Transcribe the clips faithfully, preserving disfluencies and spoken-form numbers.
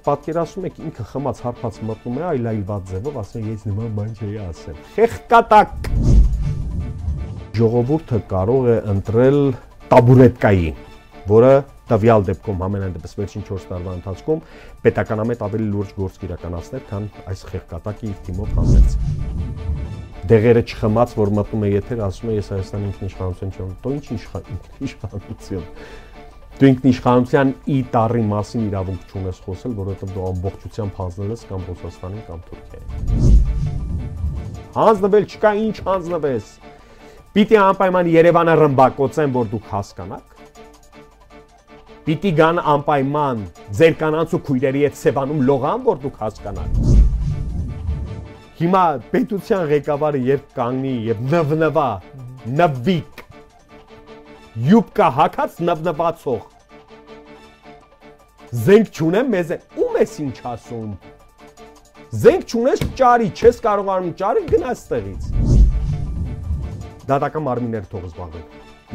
պատկերացնում եք ինքը խմած հարբած մտնում է այլայլված ձևով, ասում ես նման բան չէի ասել։ Խեղկատակ։ Ժողովուրդը կարող է ընտրել տաբուրետկայի, որը տվյալ դեպքում համենայն դեպս վերջին չորս տարվա ընթացքում պետականամետ ավելի լուրջ գործ կիրականացներ, քան այս խեղկատակի իր թիմով հանեց։ Դեղերը չխմած, որ մտնում է եթեր, ասում է ես Հայաստանի ինքնիշխանություն չեմ, դու ինչ ինքնիշխանություն։ Դու ինքնիշխանության ի տառի մասին իրավունք չունես խոսել, որովհետև դու ամբողջությամբ հանձնել ես կամ Ռուսաստանին կամ Թուրքիային։ Հանձնվել չկա, ինչ հանձնվես։ Պիտի անպայման Երևանը ռմբակոծեն, որ դուք հասկանաք։ Պիտի գան անպայման ձեր կանանց ու քույրերի հետ Սևանում լողան, որ դուք հասկանաք։ Հիմա պետության ղեկավարը երբ կանգնի եւ նվնվա, նվիկ, յուբկա հակած նվնվացող, զենք չունեմ մեզ է, ում ես ինչ ասում, զենք չունես ճարի, չես կարողանում ճարի, գնա ստեղից։ Դատական մարմինները թող զբաղվեն,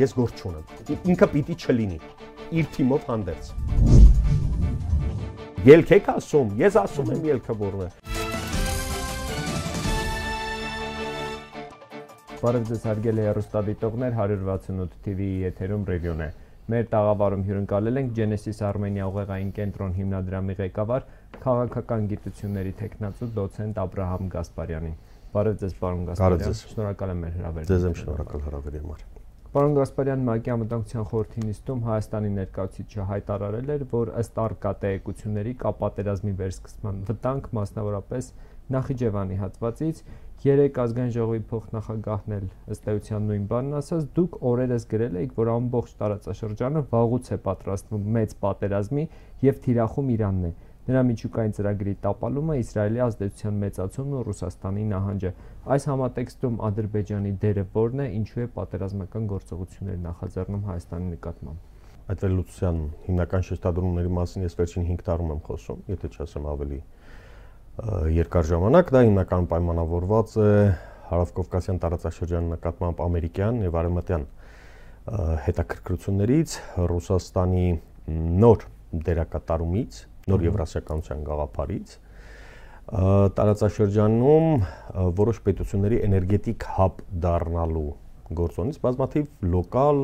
ես գործ չունեմ, ինքը պիտի չլինի, իր թիմով հանդերձ։ Ելք եք ասում, ես ասում եմ ելքը որն է։ Բարև ձեզ հարգելի հեռուստադիտողներ, հարյուր վաթսունութ թի վի-ի եթերում ռևյուն է։ Մեր տաղավարում հյուրընկալել ենք Genesis Armenia ուղեղային կենտրոն հիմնադրամի ղեկավար, քաղաքական գիտությունների թեկնածու դոցենտ Աբրահամ Գասպարյանին։ Բարև ձեզ, պարոն Գասպարյան։ Շնորհակալ եմ մեր հրավերին։ Ձեզ եմ շնորհակալ հրավերի համար։ Պարոն Գասպարյան, ՄԱԿ-ի անվտանգության խորհրդի նիստում Հայաստանի ներկայացուցիչը հայտարարել էր, որ ըստ առկա տեղեկությունների կա պատերազմի վերսկսման վտանգ, մասնավորապես Նախիջևանի հատվածից, երեք ազգային ժողովի փոխնախագահն էլ ըստ էության նույն բանն ասաց, դուք օրերս գրել եք, որ ամբողջ տարածաշրջանը վաղուց է պատրաստվում մեծ պատերազմի եւ թիրախում Իրանն է։ Նրա միջուկային ծրագրի տապալումը, Իսրայելի ազդեցության մեծացումն ու Ռուսաստանի նահանջը։ Այս համատեքստում Ադրբեջանի դերը որն է, ինչու է պատերազմական գործողություններ նախաձեռնում Հայաստանի նկատմամբ։ Այդ վերլուծության հիմնական շեշտադրումների մասին ես վերջին հինգ տարում եմ խոսում, եթե չասեմ ավելի երկար ժամանակ, դա հիմնական պայմանավորված է Հարավկովկասյան տարածաշրջանի նկատմամբ ամերիկյան եւ արևմտյան հետաքրքրություններից, Ռուսաստանի նոր դերակատարումից, նոր եվրասիականության գաղափարից, տարածաշրջանում որոշ պետությունների էներգետիկ հաբ դառնալու գործոնից բազմաթիվ լոկալ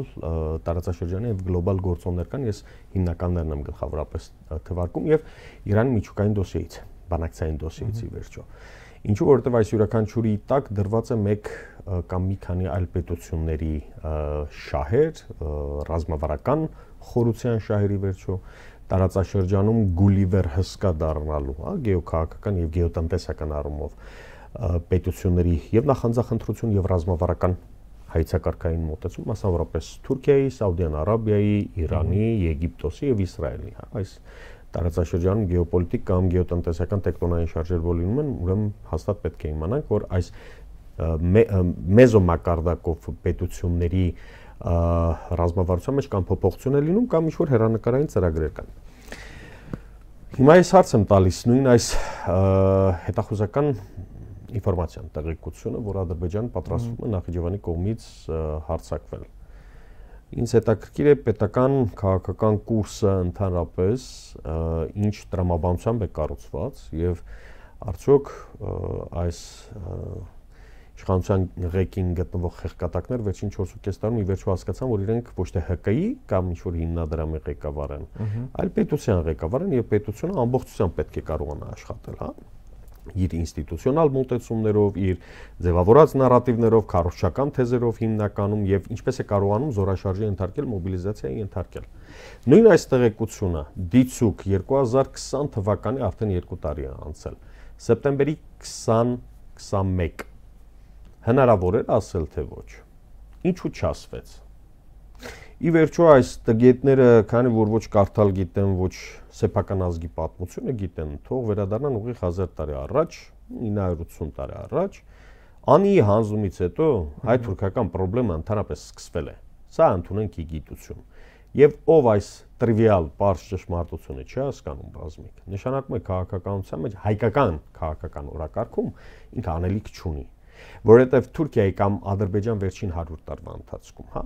տարածաշրջանի եւ գլոբալ գործոններ կան, ես հիմնականներն եմ գլխավորապես թվարկում եւ Իրանի միջուկային դոսիեից, բանակցային դոսիեից ի վերջո։ Ինչու որովհետեւ այս յուրաքանչյուրի տակ դրված է մեկ կամ մի քանի այլ պետությունների շահեր, ռազմավարական խորության շահերի վերջո, տարածաշրջանում Գուլիվեր հսկա դառնալու, հա, գեոքաղաքական եւ գեոտնտեսական առումով պետությունների եւ նախանձախնդրություն եւ ռազմավարական հայցակարգային մոտեցում, մասնավորապես Թուրքիայի, Սաուդյան Արաբիայի, Իրանի, Եգիպտոսի եւ Իսրայելի, հա, այս տարածաշրջանում գեոպոլիտիկ կամ գեոտնտեսական տեկտոնային շարժեր որ լինում են, ուրեմն հաստատ պետք է իմանանք, որ այս մեզոմակարդակով պետությունների ռազմավարության մեջ կամ փոփոխություն է լինում կամ ինչ-որ հեռանկարային ծրագրեր կան։ Հիմա ես հարց եմ տալիս նույն այս հետախուզական ինֆորմացիան, տեղեկությունը, որ Ադրբեջանը պատրաստվում է Նախիջևանի կողմից հարձակվել։ Ինձ հետաքրքիր է պետական քաղաքական կուրսը ընդհանրապես ինչ տրամաբանությամբ է կառուցված եւ արդյոք այս իշխանության ղեկին գտնվող խեղկատակներ վերջին չորս ու կես տարում ի վերջո հասկացան, որ իրենք ոչ թե Հ Կ-ի կամ ինչ-որ հիմնադրամի ղեկավար են, այլ պետության ղեկավար են եւ պետությունը ամբողջությամբ պետք է կարողանա աշխատել, հա, իր ինստիտուցիոնալ մոտեցումներով, իր ձևավորած նարատիվներով, քարոզչական թեզերով հիմնականում եւ ինչպես է կարողանում զորաշարժի ենթարկել, մոբիլիզացիայի ենթարկել։ Նույն այս տեղեկությունը դիցուկ երկու հազար քսան թվականի արդեն երկու տարի է անցել։ Սեպտեմբերի քսան քսանմեկ հնարավոր էր ասել թե ոչ։ Ինչու չասվեց։ Ի վերջո այս տգետները, քանի որ ոչ կարդալ գիտեն, ոչ սեփական ազգի պատմությունը գիտեն, թող վերադառնան ուղիղ հազար տարի առաջ, ինը հարյուր ութսուն տարի առաջ, անի հանձնումից հետո հայ-թուրքական խնդրը ընդհանրապես սկսվել է։ Սա ընդունենք ի գիտություն։ Եվ ով այս տրիվիալ պարզ ճշմարտությունը չի հասկանում բազմիկ, նշանակում է քաղաքականության մեջ հայկական քաղաքական օրակարգում ինքը անելիք չունի, որովհետև Թուրքիայի կամ Ադրբեջան վերջին հարյուր տարվա ընթացքում, հա,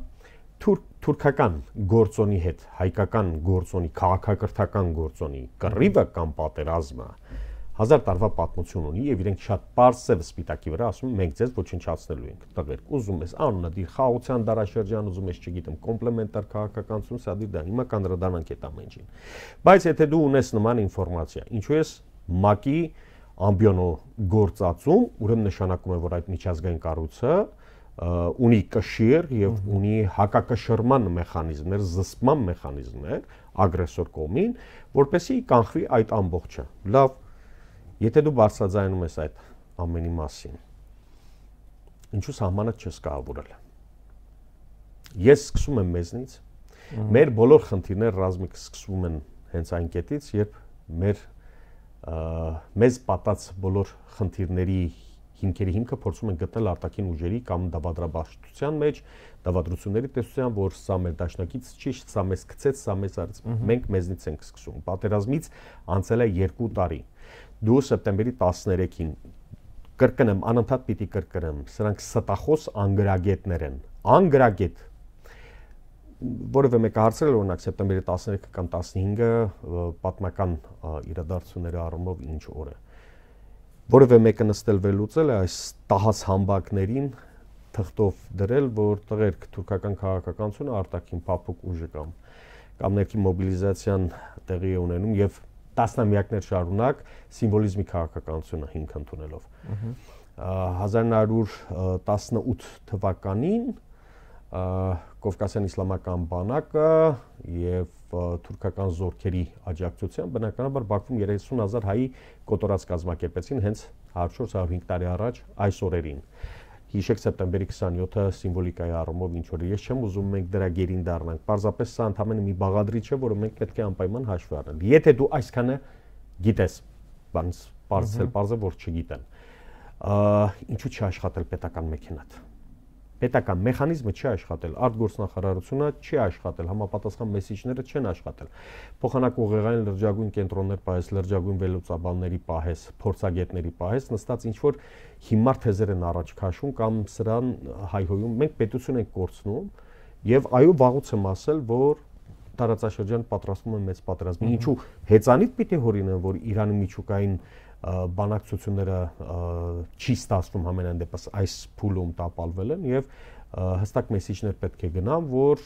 թուրքական գործոնի հետ հայկական գործոնի, քաղաքակրթական գործոնի կռիվը կամ պատերազմը հազար տարվա պատմություն ունի եւ իրենք շատ པարսև սպիտակի վրա ասում մենք ձեզ ոչնչացնելու ենք տղերք ուզում ես աննադիր խաղաղության դարաշրջան ուզում ես չգիտեմ կոմպլեմենտար քաղաքականություն սա դի դա հիմա կանդրադառնանք այդ ամենին բայց եթե դու ունես նման ինֆորմացիա ինչու ես ՄԱԿ-ի ամբիոնո գործածում ուրեմն նշանակում է որ այդ միջազգային կառույցը ունի կշիռ եւ ունի հակակշռման մեխանիզմներ զսպման մեխանիզմներ ագրեսոր կողմին որպեսզի կանխվի այդ ամբողջը լավ Եթե դու բարձրաձայնում ես այդ ամենի մասին, ինչու սահմանը չես կահավորել։ Ես սկսում եմ մեզնից, մեր բոլոր խնդիրները ռազմիկ սկսվում են հենց այն կետից, երբ մեր մեզ պատած բոլոր խնդիրների հիմքերի հիմքը փորձում են գտնել արտաքին ուժերի կամ դավադրաբաշխության մեջ, դավադրությունների տեսության, որ սա մեր դաշնակից չի, սա մեզ գցեց, սա մեզ արեց։ Մենք մեզնից ենք սկսում։ Պատերազմից անցել է երկու տարի։ Դու սեպտեմբերի տասներեքին կրկնեմ, անընդհատ պիտի կրկնեմ, սրանք ստախոս անգրագետներ են, անգրագետ, որևէ մեկը հարցրել օրինակ սեպտեմբերի տասներեքը կամ տասնհինգը պատմական իրադարձությունների առումով ինչ օր է, որևէ մեկը նստել վերլուծել է այս տահած համբակներին թղթով դրել, որ տղերք թուրքական քաղաքականությունը արտաքին փափուկ ուժը կամ կամ ներքին մոբիլիզացիան տեղի է ունենում եւ տասնամյակներ շարունակ սիմվոլիզմի քաղաքականությունը հիմք ընդունելով։ հազար նոր հարյուր տասնութ թվականին Կովկասյան իսլամական բանակը եւ թուրքական զորքերի աջակցությամբ բնականաբար Բաքվում երեսուն հազար հայի կոտորած կազմակերպեցին հենց հարյուր հարյուր հինգ տարի առաջ այս օրերին։ Հիշեք սեպտեմբերի քսանյոթը սիմվոլիկայի առումով ինչ որ ես չեմ ուզում մենք դրա գերին դառնանք։ Պարզապես սա ընդհանրապես մի բաղադրիչ է, որը մենք պետք է անպայման հաշվի առնենք։ Եթե դու այսքանը գիտես, բանս բարձել, բարձր որ չգիտեն։ Ինչու՞ չի աշխատել պետական մեքենատ։ Պետական մեխանիզմը չի աշխատել, արտգործնախարարությունը չի աշխատել, համապատասխան մեսիջները չեն աշխատել։ Փոխանակ ուղեղային լրջագույն կենտրոններ պահես, լրջագույն վերլուծաբանների պահես, փորձագետների պահես, նստած ինչ որ հիմար թեզեր են առաջ քաշում կամ սրան հայհոյում, մենք պետություն ենք կորցնում եւ այո վաղուց եմ ասել, որ տարածաշրջան պատրաստվում է մեծ պատերազմ։ Ինչու հեծանիվ պիտի հորինեն, որ Իրանի միջուկային բանակցությունները չի ստացվում համենայն դեպս այս փուլում տապալվել են եւ հստակ մեսիջներ պետք է գնան, որ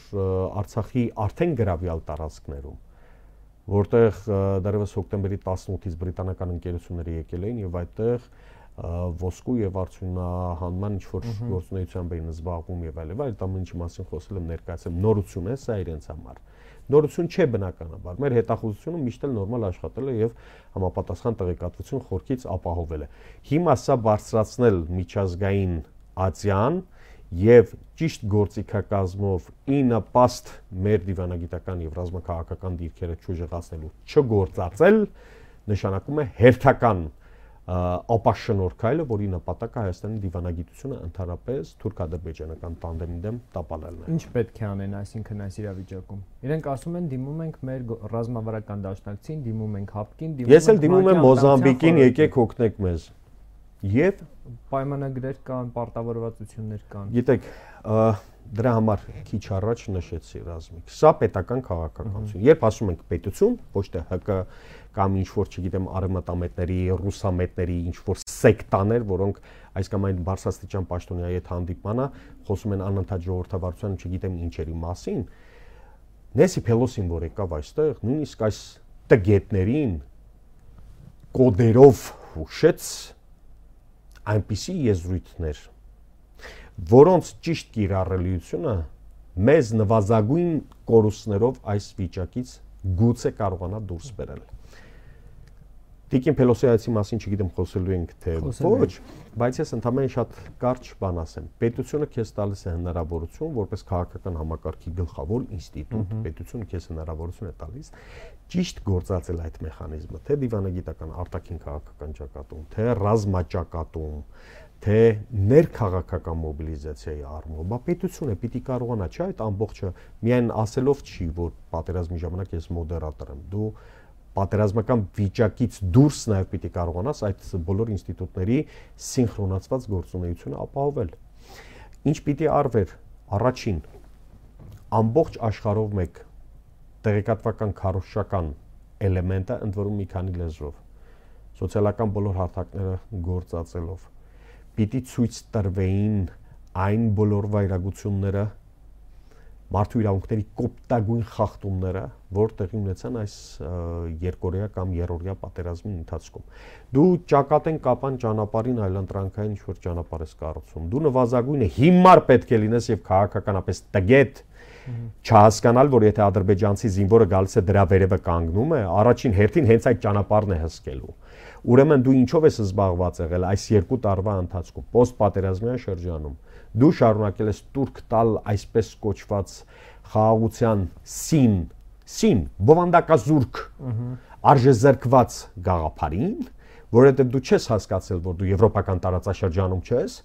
Արցախի արդեն գրավյալ տարածքներում, որտեղ դեռևս հոկտեմբերի տասնութից բրիտանական ընկերությունները եկել էին եւ այդտեղ ոսկու եւ արդյունահանման ինչ որ գործունեությամբ էին զբաղվում եւ այլն, այդ ամենի մասին խոսել եմ ներկայացեմ, նորություն է սա իրենց համար։ Նորություն չէ բնականաբար։ Մեր հետախուզությունը միշտ էլ նորմալ աշխատել է եւ համապատասխան տեղեկատվություն խորքից ապահովել է։ Հիմա սա բարձրացնել միջազգային ացիան եւ ճիշտ գործիքակազմով ի նպաստ մեր դիվանագիտական եւ ռազմաքաղաքական դիրքերը չուժեղացնելու չգործածել նշանակում է հերթական ապաշնորհ քայլը, որի նպատակը Հայաստանի դիվանագիտությունը ընդհանրապես թուրք-ադրբեջանական տանդեմի դեմ տապալելն է։ Ինչ պետք է անեն, այսինքն այս իրավիճակում։ Իրենք ասում են դիմում ենք մեր ռազմավարական դաշնակցին, դիմում ենք ՀԱՊԿ-ին, դիմում ենք։ Ես էլ դիմում եմ Մոզամբիկին, եկեք օգնեք մեզ։ Եվ պայմանագրեր կան, պարտավորվածություններ կան։ Գիտեք, դրա համար քիչ առաջ նշեցի ռազմիկ։ Սա պետական քաղաքականություն։ Երբ ասում ենք պետություն, ոչ թե ՀԿ կամ ինչ որ, չգիտեմ, արևմտամետների, ռուսամետների ինչ որ սեկտաներ, որոնք այս կամ այն բարձրաստիճան պաշտոնյայի հետ հանդիպմանը խոսում են անընդհատ ժողովրդավարության, չգիտեմ ինչերի մասին, Նեսի Փելոսին որ եկավ այստեղ, նույնիսկ այս տգետներին կոդերով հուշեց այնպիսի եզրույթներ, որոնց ճիշտ կիրառելիությունը մեզ նվազագույն կորուստներով այս վիճակից գուցե կարողանա դուրս բերել։ Տիկին Փելոսի այցի մասին չգիտեմ խոսելու ենք թե ոչ, բայց ես ընդհանրապես շատ կարճ բան ասեմ։ Պետությունը քեզ տալիս է հնարավորություն, որպես քաղաքական համակարգի գլխավոր ինստիտուտ, պետությունը քեզ հնարավորություն է տալիս ճիշտ գործածել այդ մեխանիզմը, թե դիվանագիտական արտաքին քաղաքական ճակատում, թե ռազմաճակատում, թե ներքաղաքական մոբիլիզացիայի առումով, բա պետությունը պիտի կարողանա, չէ՞, այդ ամբողջը միայն ասելով չի, որ պատերազմի ժամանակ ես մոդերատոր եմ, դու պատերազմական վիճակից դուրս նաև պիտի կարողանաս այդ բոլոր ինստիտուտների սինխրոնացված գործունեությունը ապահովել։ Ինչ պիտի արվեր, առաջին ամբողջ աշխարհով մեկ տեղեկատվական քարոզչական էլեմենտը ընդ որում մի քանի լեզվով սոցիալական բոլոր հարթակները գործածելով պիտի ցույց տրվեին այն բոլոր վայրագությունները մարդու իրավունքների կոպտագույն խախտումները, որ տեղի ունեցան այս երկօրյա կամ երրորդյա պատերազմի ընթացքում։ Դու ճակատեն կապան ճանապարհին այլընտրանքային ինչ-որ ճանապարհ ես կառուցում։ Դու նվազագույնը հիմար պետք է լինես եւ քաղաքականապես տգետ չհասկանալ, որ եթե ադրբեջանցի զինվորը գալիս է դրա վերևը կանգնում է, առաջին հերթին հենց այդ ճանապարհն է հսկելու։ Ուրեմն դու ինչով ես զբաղված եղել այս երկու տարվա ընթացքում, պոստպատերազմյան շրջանում։ Դու շարունակել ես տուրք տալ այսպես կոչված խաղաղության սին, սին, բովանդակազուրկ, արժեզրկված գաղափարին, որովհետև դու չես հասկացել, որ դու եվրոպական տարածաշրջանում չես,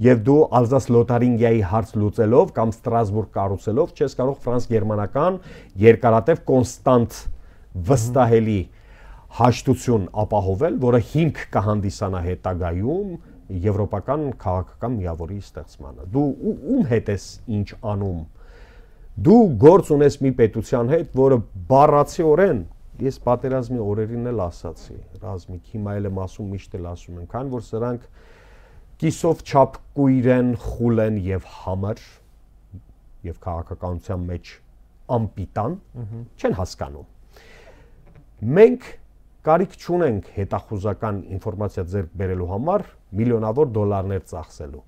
եւ դու Ալզաս-Լոթարինգիայի հարց լուծելով կամ Ստրասբուրգ կառուցելով չես կարող ֆրանս-գերմանական երկարատև կոնստանտ վստահելի հաշտություն ապահովել, որը հիմք կհանդիսանա հետագայում եվրոպական քաղաքական միավորի ստեղծմանը։ Դու ում հետ ես ինչ անում։ Դու գործ ունես մի պետության հետ, որը բառացիորեն, ես պատերազմի օրերին էլ ասացի, Ռազմիկ, հիմա էլ եմ ասում, միշտ էլ ասում եմ, քան որ սրանք կիսով չափ կույր են, խուլ են եւ համր եւ քաղաքականության մեջ ամպիտան, չեն հասկանում։ Մենք կարիք չունենք հետախուզական ինֆորմացիա ձեռք բերելու համար միլիոնավոր դոլարներ ծախսելու։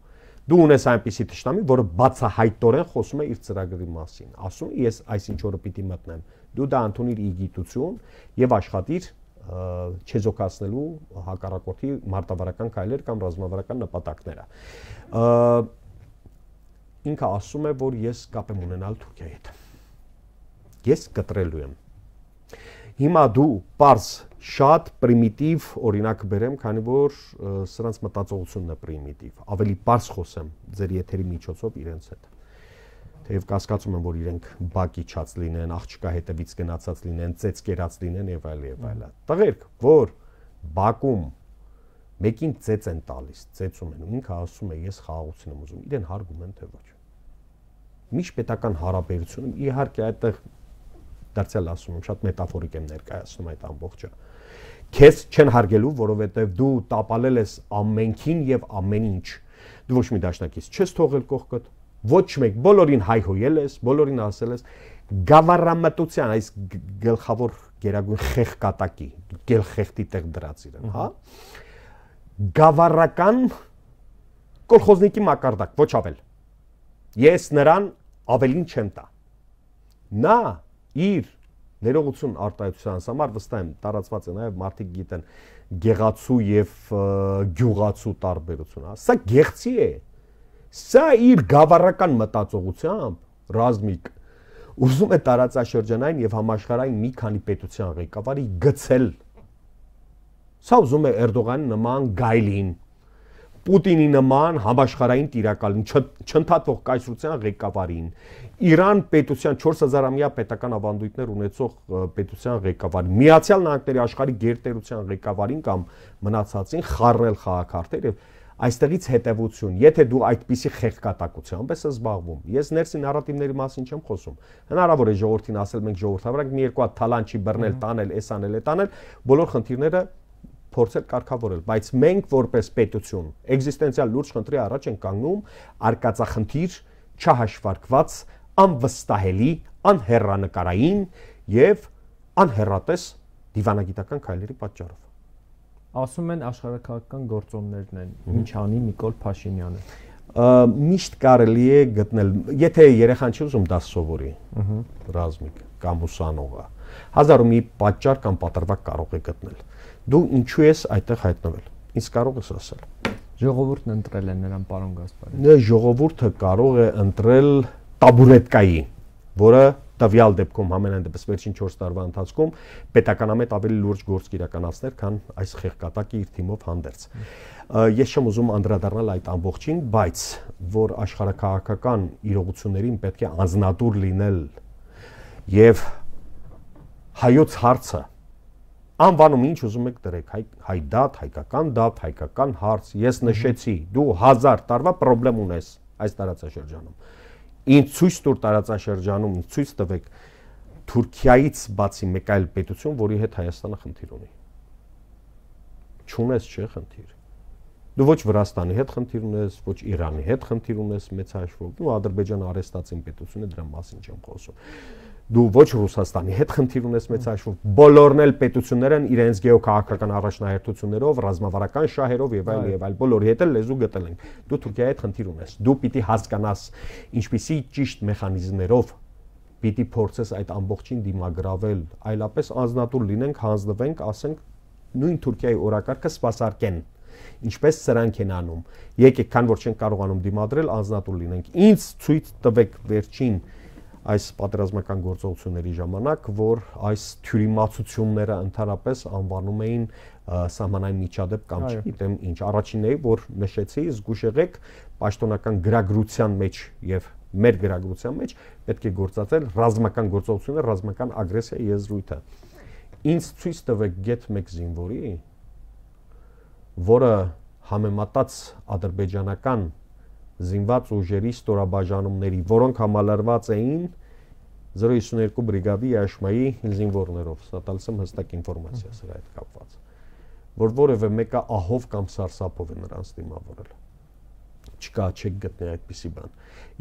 Դու ունես այնպիսի թշնամի, որը բացահայտորեն խոսում է իր ծրագրի մասին, ասում է ես այսինչ օրը պիտի մտնեմ։ Դու դա ընդունիր ի գիտություն եւ աշխատիր չեզոքացնելու հակառակորդի մարտավարական քայլեր կամ ռազմավարական նպատակները։ Ինքը ասում է, որ ես կապ եմ ունենալ Թուրքիայի հետ։ Ես կտրելու եմ։ Հիմա դու պարզ շատ պրիմիտիվ օրինակ բերեմ, քանի որ սրանց մտածողությունն է պրիմիտիվ։ Ավելի պարզ խոսեմ ձեր եթերի միջոցով իրենց հետ։ Թեև կասկածում եմ, որ իրենք բակիչած լինեն, աղջկա հետևից գնացած լինեն, ծեծ կերած լինեն եւ այլ եւ այլ։ Տղերք, որ Բաքում մեկին ծեծ են տալիս, ծեծում են, ու ինքը ասում է ես խաղաղություն եմ ուզում, իրեն հարգում են թե ոչ։ Միջպետական հարաբերությունը իհարկե այդտեղ դարձյալ ասում եմ, շատ մետաֆորիկ եմ ներկայացնում այդ ամբողջը։ Քեզ չեն հարգելու, որովհետև դու տապալել ես ամենքին եւ ամեն ինչ։ Դու ոչ մի դաշնակից չես թողել կողքդ, ոչ մեկ, բոլորին հայհոյել ես, բոլորին ասել ես գավառամտության, այս գլխավոր գերագույն խեղկատակի, գելխեղտի տեղ դրած իրեն, հա։ Գավառական կոլխոզնիկի մակարդակ, ոչ ավել։ Ես նրան ավելին չեմ տա։ Նա իր ներողություն արտահայտության համար վստահ եմ տարածված է նաև մարդիկ գիտեն գեղացու եւ գյուղացու տարբերությունը, սա գեղցի է, սա իր գավառական մտածողությամբ ռազմիկ ուզում է տարածաշրջանային եւ համաշխարհային մի քանի պետության ղեկավարի գցել, սա ուզում է Էրդողանի նման գայլին, Պուտինի նման համաշխարհային տիրակալին, չընդհատվող կայսրության ղեկավարին, Իրան պետության չորս հազարամյա պետական ավանդույթներ ունեցող պետության ղեկավարին, Միացյալ Նահանգների աշխարհի գերտերության ղեկավարին կամ մնացածին խառնել խաղաքարտեր եւ այստեղից հետեւություն, եթե դու այդպիսի խեղկատակությամբ ես զբաղվում, ես ներսի նարատիվների մասին չեմ խոսում, հնարավոր է ժողովրդին ասել մենք ժողովրդավարենք մի երկու հատ թալանչի բռնել, տանել, էս անել, էդ անել, բոլոր խնդիրները փորձել կարգավորել, բայց մենք որպես պետություն էգզիստենցիալ լուրջ խնդրի առաջ ենք կանգնում արկածախնդիր, չհաշվարկված, անվստահելի, անհեռանկարային եւ անհեռատես դիվանագիտական քայլերի պատճառով։ Ասում են աշխարհակաղակական գործոններն են, ինչ անի Նիկոլ Փաշինյանը։ Միշտ կարելի է գտնել, եթե երեխան չի ուզում դա սովորի, ռազմիկ կամ ուսանողը, հազար ու մի պատճառ կամ պատրվակ կարող է գտնել։ Դու ինչու ես այդտեղ հայտնվել։ Ինչ կարող ես ասել։ Ժողովուրդն ընտրել է նրան, պարոն Գասպարյան։ Նա ժողովուրդը կարող է ընտրել տաբուրետկայի, որը տվյալ դեպքում ամենայն դեպս վերջին չորս տարվա ընթացքում պետականամետ ավելի լուրջ գործ կիրականացներ, քան այս խեղկատակի իր թիմով հանդերձ։ Ես չեմ ուզում անդրադառնալ այդ ամբողջին, բայց որ աշխարհակաղակական իրողություններին պետք է անձնատուր լինել եւ հայոց հարցը անվանում ինչ ուզում եք դրեք, հայ դատ, հայկական դատ, հայկական հարց, ես նշեցի, դու հազար տարվա պրոբլեմ ունես այս տարածաշրջանում։ Ինձ ցույց տուր տարածաշրջանում, ինձ ցույց տվեք Թուրքիայից բացի մեկ այլ պետություն, որի հետ Հայաստանը խնդիր ունի։ Չունես չէ խնդիր։ Դու ոչ Վրաստանի հետ խնդիր ունես, ոչ Իրանի հետ խնդիր ունես մեծ հաշվով, դու Ադրբեջանը արեստացին պետություն է, դրա մասին չեմ խոսում։ Դու ոչ Ռուսաստանի հետ խնդիր ունես մեծ հաշվով, բոլորն էլ պետություններ են իրենց գեոքաղաքական առաջնահերթություններով, ռազմավարական շահերով եւ այլ եւ այլ, բոլորի հետ էլ լեզու գտել են։ Դու Թուրքիայի հետ խնդիր ունես։ Դու պիտի հասկանաս ինչպիսի ճիշտ մեխանիզմներով պիտի փորձես այդ ամբողջին դիմագրավել, այլապես անznատուր լինենք, հանձնվենք, ասենք նույն Թուրքիայի օրակարգը սպասարկեն։ Ինչպես սրանք են անում։ Եկեք, քան որ չեն կարողանում դիմադրել, անznատուր լինենք։ Ինձ ցույց տվեք վերջին այս պատերազմական գործողությունների ժամանակ, որ այս թյուրիմացությունները ընդհանրապես անվանում էին սահմանային միջադեպ կամ չգիտեմ ինչ։ Առաջինն է, որ նշեցի, զգուշ եղեք, պաշտոնական գրագրության մեջ եւ մեր գրագրության մեջ պետք է գործածել ռազմական գործողությունները, ռազմական ագրեսիա եզրույթը։ Ինձ ցույց տվեք գեթ մեկ զինվորի, որը համեմատած ադրբեջանական զինված ուժերի ստորաբաժանումների, որոնք համալրված էին զրո հիսունյոթ բրիգադի Աշմայի զինվորներով, սա տալիս եմ հստակ ինֆորմացիա սրա հետ կապված, որ որևէ մեկը ահով կամ սարսափով է նրանց դիմավորել։ Չկա, չեք գտնի այդպիսի բան։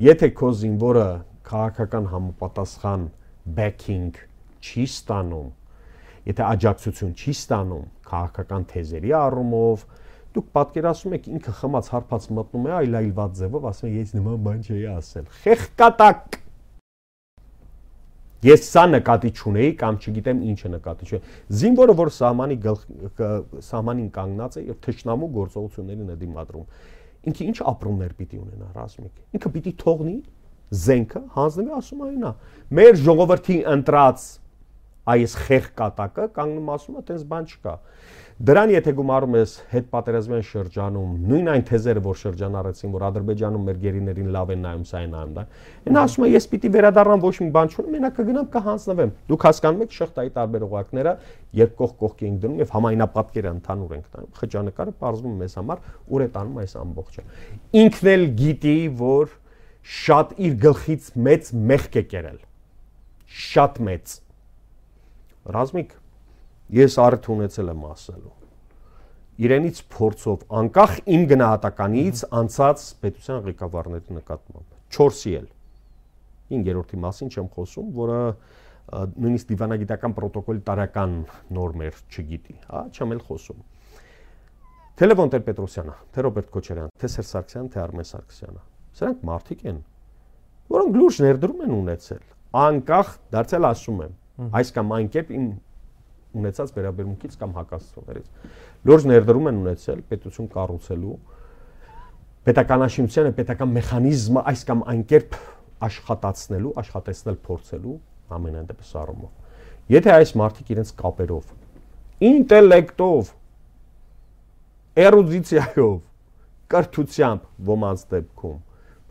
Եթե քո զինվորը քաղաքական համապատասխան backing չի ստանում, եթե աջակցություն չի ստանում քաղաքական թեզերի առումով, դուք պատկերացնում եք ինքը խմած հարբած մտնում է այլայլված ձևով, ասում է ես նման բան չէի ասել։ Խեղկատակ։ Ես սա նկատի չունեի կամ չգիտեմ ինչը նկատի չունեի։ Զինվորը, որ սահմանի սահմանին կանգնած է եւ թշնամու գործողություններին է դիմադրում, ինքը ինչ ապրումներ պիտի ունենա, Ռազմիկ։ Ինքը պիտի թողնի զենքը, հանձնվի, ասում է այնա։ Մեր ժողովրդի ընտրած այս խեղկատակը կանգնում ասում է, այդպես բան չկա։ Դրան եթե գումարում ես հետպատերազմյան շրջանում, նույն այն թեզերը, որ շրջանառեցին, որ Ադրբեջանում մեր գերիներին լավ են նայում, սա են նայում, դա։ Այն ասում է, ես պիտի վերադառնամ, ոչ մի բան չունեմ, մենակ կգնամ կհանձնվեմ։ Դուք հասկանում եք շղթայի տարբեր օղակները, երբ կողք կողքի ենք դնում եւ համայնապատկերը ընդհանուր ենք տանում։ Խճանկարը պարզվում մեզ համար ուր է տանում այս ամբողջը։ Ինքն էլ գիտի, որ շատ իր գլխից մեծ մեղք է կերել։ Շատ մեծ։ Ռազմիկ, ես առիթ ունեցել եմ ասելու։ Իրենից փորձով, անկախ իմ գնահատականից անցած պետության ղեկավարների նկատմամբ, չորսի էլ, հինգերորդի մասին չեմ խոսում, որը նույնիսկ դիվանագիտական պրոտոկոլի տարական նորմեր չգիտի, հա, չեմ էլ խոսում։ Թե Լևոն Տեր-Պետրոսյանը, թե Ռոբերտ Քոչարյանը, թե Սերժ Սարգսյանը, թե Արմեն Սարգսյանը, սրանք մարդիկ են, որոնք լուրջ ներդրում են ունեցել, անկախ դարձել ասում եմ, այս կամ այն կերպ իմ ունեցած վերաբերմունքից կամ հակասություններից։ Լուրջ ներդրում են ունեցել պետություն կառուցելու, պետականաշինությանը պետական մեխանիզմը այս կամ այն կերպ աշխատացնելու, աշխատեցնել փորձելու ամենայն դեպս առումով։ Եթե այս մարդիկ իրենց կապերով, ինտելեկտով, էրուդիցիայով, կրթությամբ ոմանց դեպքում,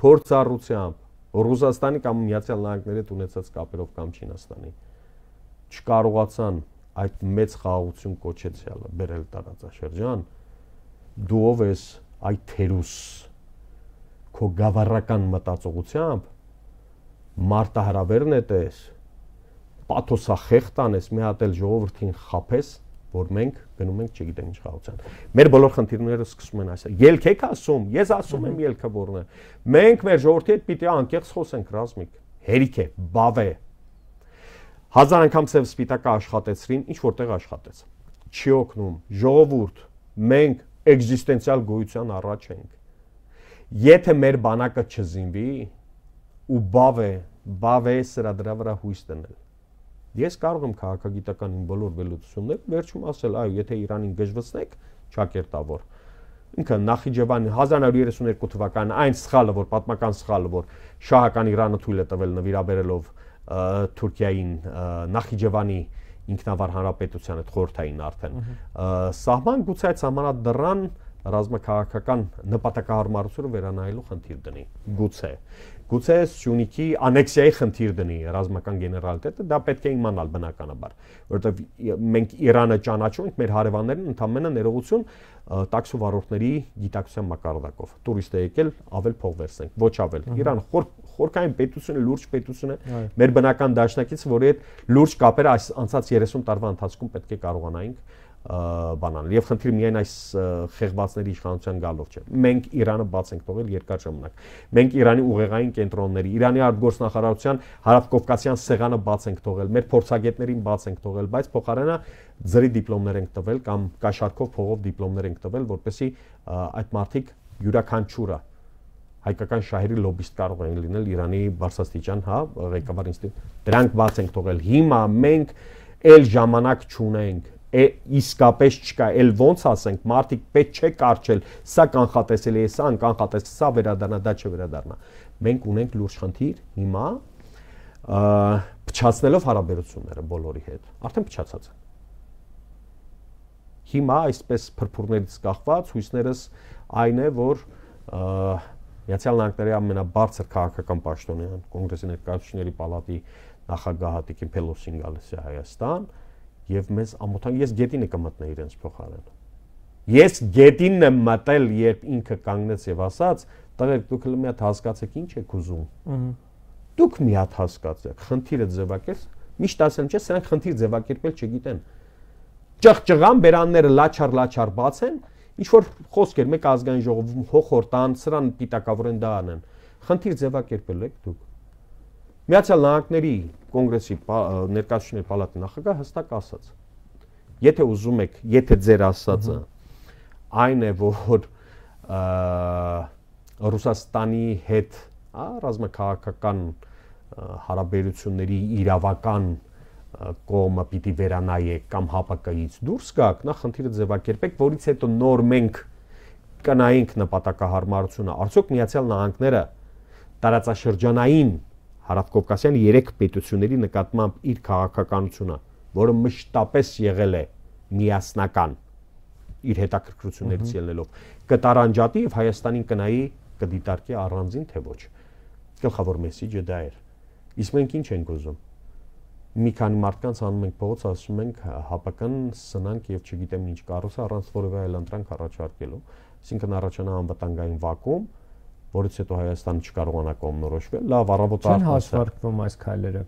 փորձառությամբ, Ռուսաստանի կամ Միացյալ Նահանգների հետ ունեցած կապերով կամ Չինաստանի չկարողացան այդ մեծ խաղաղություն կոչեցյալը բերել տարածաշրջան, դու ով ես այդ թերուս քո գավառական մտածողությամբ մարտահրավերն է տես, պաթոսախեղտ անես, մի հատ էլ ժողովրդին խափես, որ մենք գնում ենք չգիտեմ ինչ խաղաղության։ Մեր բոլոր խնդիրները սկսում են այսա։ Ելք եք ասում, ես ասում եմ ելքը որն է։ Մենք մեր ժողովրդի հետ պիտի անկեղծ խոսենք, Ռազմիկ, հերիք է, բավ է։ Հազար անգամ ծև սպիտակը աշխատեցրին, ինչ որտեղ աշխատեց։ Չի օգնում, ժողովուրդ, մենք էգզիստենցիալ գոյության առաջ ենք։ Եթե մեր բանակը չզինվի, ու բավ է, բավ է սրա դրա վրա հույս դնել։ Ես կարող եմ քաղաքագիտական իմ բոլոր վերլուծությունները վերջում ասել, այո, եթե Իրանին գժվեցնեք, ճակերտավոր։ Ինքը Նախիջևանի հազար նորը երեսուն երկու թվականին այն սխալը, որ պատմական սխալը, որ շահական Իրանը թույլ է տվել նվիրաբերելով Թուրքիային Նախիջևանի ինքնավար հանրապետության հետ խորհրդային արդեն սահման, գուցե այդ սահմանադրան ռազմաքաղաքական նպատակահարմարությունը վերանայելու խնդիր դնի, գուցե։ Գուցե Սյունիքի անեքսիայի խնդիր դնի ռազմական գեներալիտետը, դա պետք է իմանալ բնականաբար, որովհետև մենք Իրանը ճանաչում ենք մեր հարևաններին ընդամենը ներողություն տաքսու վարորդների գիտակցության մակարդակով։ Տուրիստ է եկել, ավել փող վերցնենք, ոչ ավել։ Իրան խորքային պետություն է, լուրջ պետություն է, մեր բնական դաշնակիցը, որի հետ լուրջ կապեր այս անցած երեսուն տարվա ընթացքում պետք է կարողանայինք բանալ։ Եվ խնդիրը միայն այս խեղվածների իշխանության գալով չէ։ Մենք Իրանը բաց ենք թողել երկար ժամանակ։ Մենք Իրանի ուղեղային կենտրոնների, Իրանի արտգործնախարարության հարավկովկասյան սեղանը բաց ենք թողել, մեր փորձագետներին բաց ենք թողել, բայց փոխարենը ձրի դիպլոմներ ենք տվել կամ կաշառքով փողով դիպլոմներ ենք տվել, որպեսզի այդ մարդիկ յուրաքանչյուրը հայկական շահերի լոբիստ կարող են լինել Իրանի բարձրաստիճան, հա, ղեկավար ինստիտուտ։ Դրանք բաց ենք թողել։ Հիմա մենք էլ ժամանակ չունենք, իսկապես չկա, էլ ոնց ասենք, մարդիկ պետք չէ կարճել, սա կանխատեսելի է, սա անկանխատեսելի, սա վերադառնա, դա չվերադառնա։ Մենք ունենք լուրջ խնդիր հիմա փչացնելով հարաբերությունները բոլորի հետ, արդեն փչացած են։ Հիմա այսպես փրփուրներից կախված հույսներս այն է, որ Միացյալ Նահանգների ամենաբարձր քաղաքական պաշտոնյան կոնգրեսի ներկայացուցիչների պալատի նախագահ Հատիկին Փելոսին գալիս է Հայաստան եւ մեզ ամոթան ես գետին եմ մտնել իրենց փոխարեն։ Ես գետինն եմ մտել, երբ ինքը կանգնեց եւ ասաց, տղերք դուք մի հատ հասկացեք ինչ եք ուզում։ Դուք մի հատ հասկացեք, խնդիրը ձևակերպ, միշտ ասեմ չէ, սրանք խնդիր ձևակերպել չգիտեն։ Ճղճղան բերանները լաչար-լաչար բացեն, ինչ որ խոսք էր մեկ ազգային ժողովում հոխորտան, սրան պիտակավորեն դա անեն։ Խնդիր ձևակերպել եք դուք։ Միացյալ Նահանգների կոնգրեսի ներկայացուցիչների պալատի նախագահ հստակ ասաց. Եթե ուզում եք, եթե ձեր ասածը այն է, որ Ռուսաստանի հետ, հա, ռազմաքաղաքական հարաբերությունների իրավական կողմը պիտի վերանայեք կամ հապակայից դուրս գաք, նա խնդիրը ձևակերպեք, որից հետո նոր մենք կնայենք նպատակահարմարությունը, արդյոք Միացյալ Նահանգները տարածաշրջանային հարավկովկասյան երեք պետությունների նկատմամբ իր քաղաքականությունը, որը մշտապես եղել է միասնական իր հետաքրքրություններից ելնելով, կտարանջատի եւ Հայաստանին կնայի կդիտարկի առանձին թե ոչ։ Գլխավոր մեսիջը դա էր։ Իսկ մենք ինչ ենք ուզում։ Մի քանի մարդկանց անում ենք փողոց, ասում ենք հապական սնանք եւ չգիտեմ ինչ կառուցը առանց որևէ այլ ընտրանք առաջարկելու, այսինքն առաջանա անվտանգային վակուում, որից հետո Հայաստանը չկարողանա կողմնորոշվել։ Լավ, առավոտ արդեն հաշվարկվում այս քայլերը։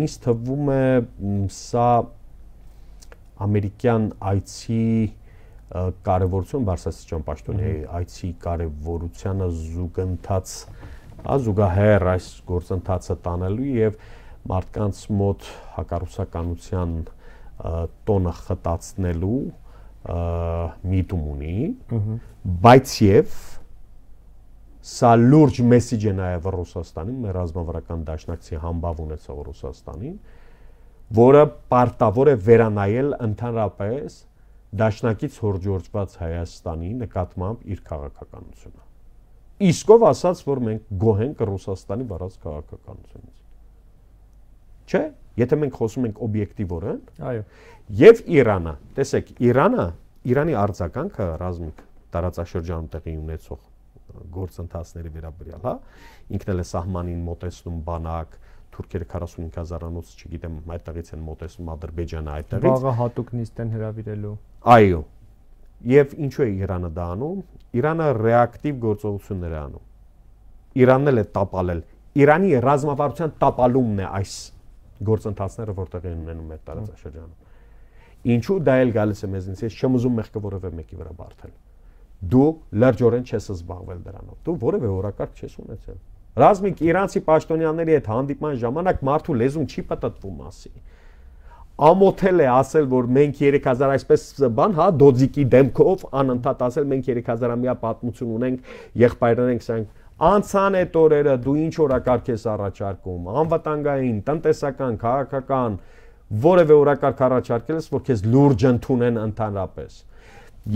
Ինձ թվում է սա ամերիկյան այցի կարևորություն բարձրաստիճան պաշտոնյայի այցի կարևորությանը զուգընթաց, զուգահեռ այս գործընթացը տանելու եւ մարդկանց մոտ հակառուսականության տոնը խտացնելու միտում ունի, բայց եւ սա լուրջ մեսիջ է նաեւ Ռուսաստանին, մեր ռազմավարական դաշնակցի համբավ ունեցող Ռուսաստանին, որը պարտավոր է վերանայել ընդհանրապես դաշնակից հորջորձված Հայաստանի նկատմամբ իր քաղաքականությունը։ Իսկով ասած, որ մենք գոհ ենք Ռուսաստանի վարած քաղաքականությունից։ Չէ, եթե մենք խոսում ենք օբյեկտիվորեն, այո, եւ Իրանը, տեսեք, Իրանը, Իրանի արձագանքը ռազմիկ տարածաշրջանում տեղի ունեցող գործընթացների վերաբերյալ, հա, ինքն էլ է սահմանին մոտեցնում բանակ, թուրքերը քառասունհինգ հազարանոց, չգիտեմ, այդտեղից են մոտեցնում Ադրբեջանը այդտեղից։ Վաղը հատուկ նիստ են հրավիրելու։ Այո։ Եվ ինչու է Իրանը դա անում։ Իրանը ռեակտիվ գործողություններ է անում։ Իրանն էլ է տապալել։ Իրանի ռազմավարության տապալումն է այս գործընթացները, որտեղ են ունենում մեր տարածաշրջանում։ Ինչու դա էլ գալիս է մեզնից, ես չեմ ուզում մեղքը որևէ մեկի վրա բարթել։ Դու լրջորեն չես զբաղվել դրանով։ Դու որևէ օրակարգ չես ունեցել։ Ռազմիկ իրանցի պաշտոնյաների հետ հանդիպման ժամանակ մարդու լեզուն չի պատտվում ասի։ Ամոթել է ասել, որ մենք երեք հազար այսպես բան, հա, դոձիկի դեմքով անընդհատ ասել, մենք երեք հազարամյա պատմություն ունենք, եղբայրներ ենք սրանք։ Անցան այդ օրերը դու ինչ օրակարգ ես առաջարկում, անվտանգային, տնտեսական, քաղաքական, որևէ օրակարգ առաջարկել ես, որ քեզ լուրջ ընդունեն ընդհանրապես։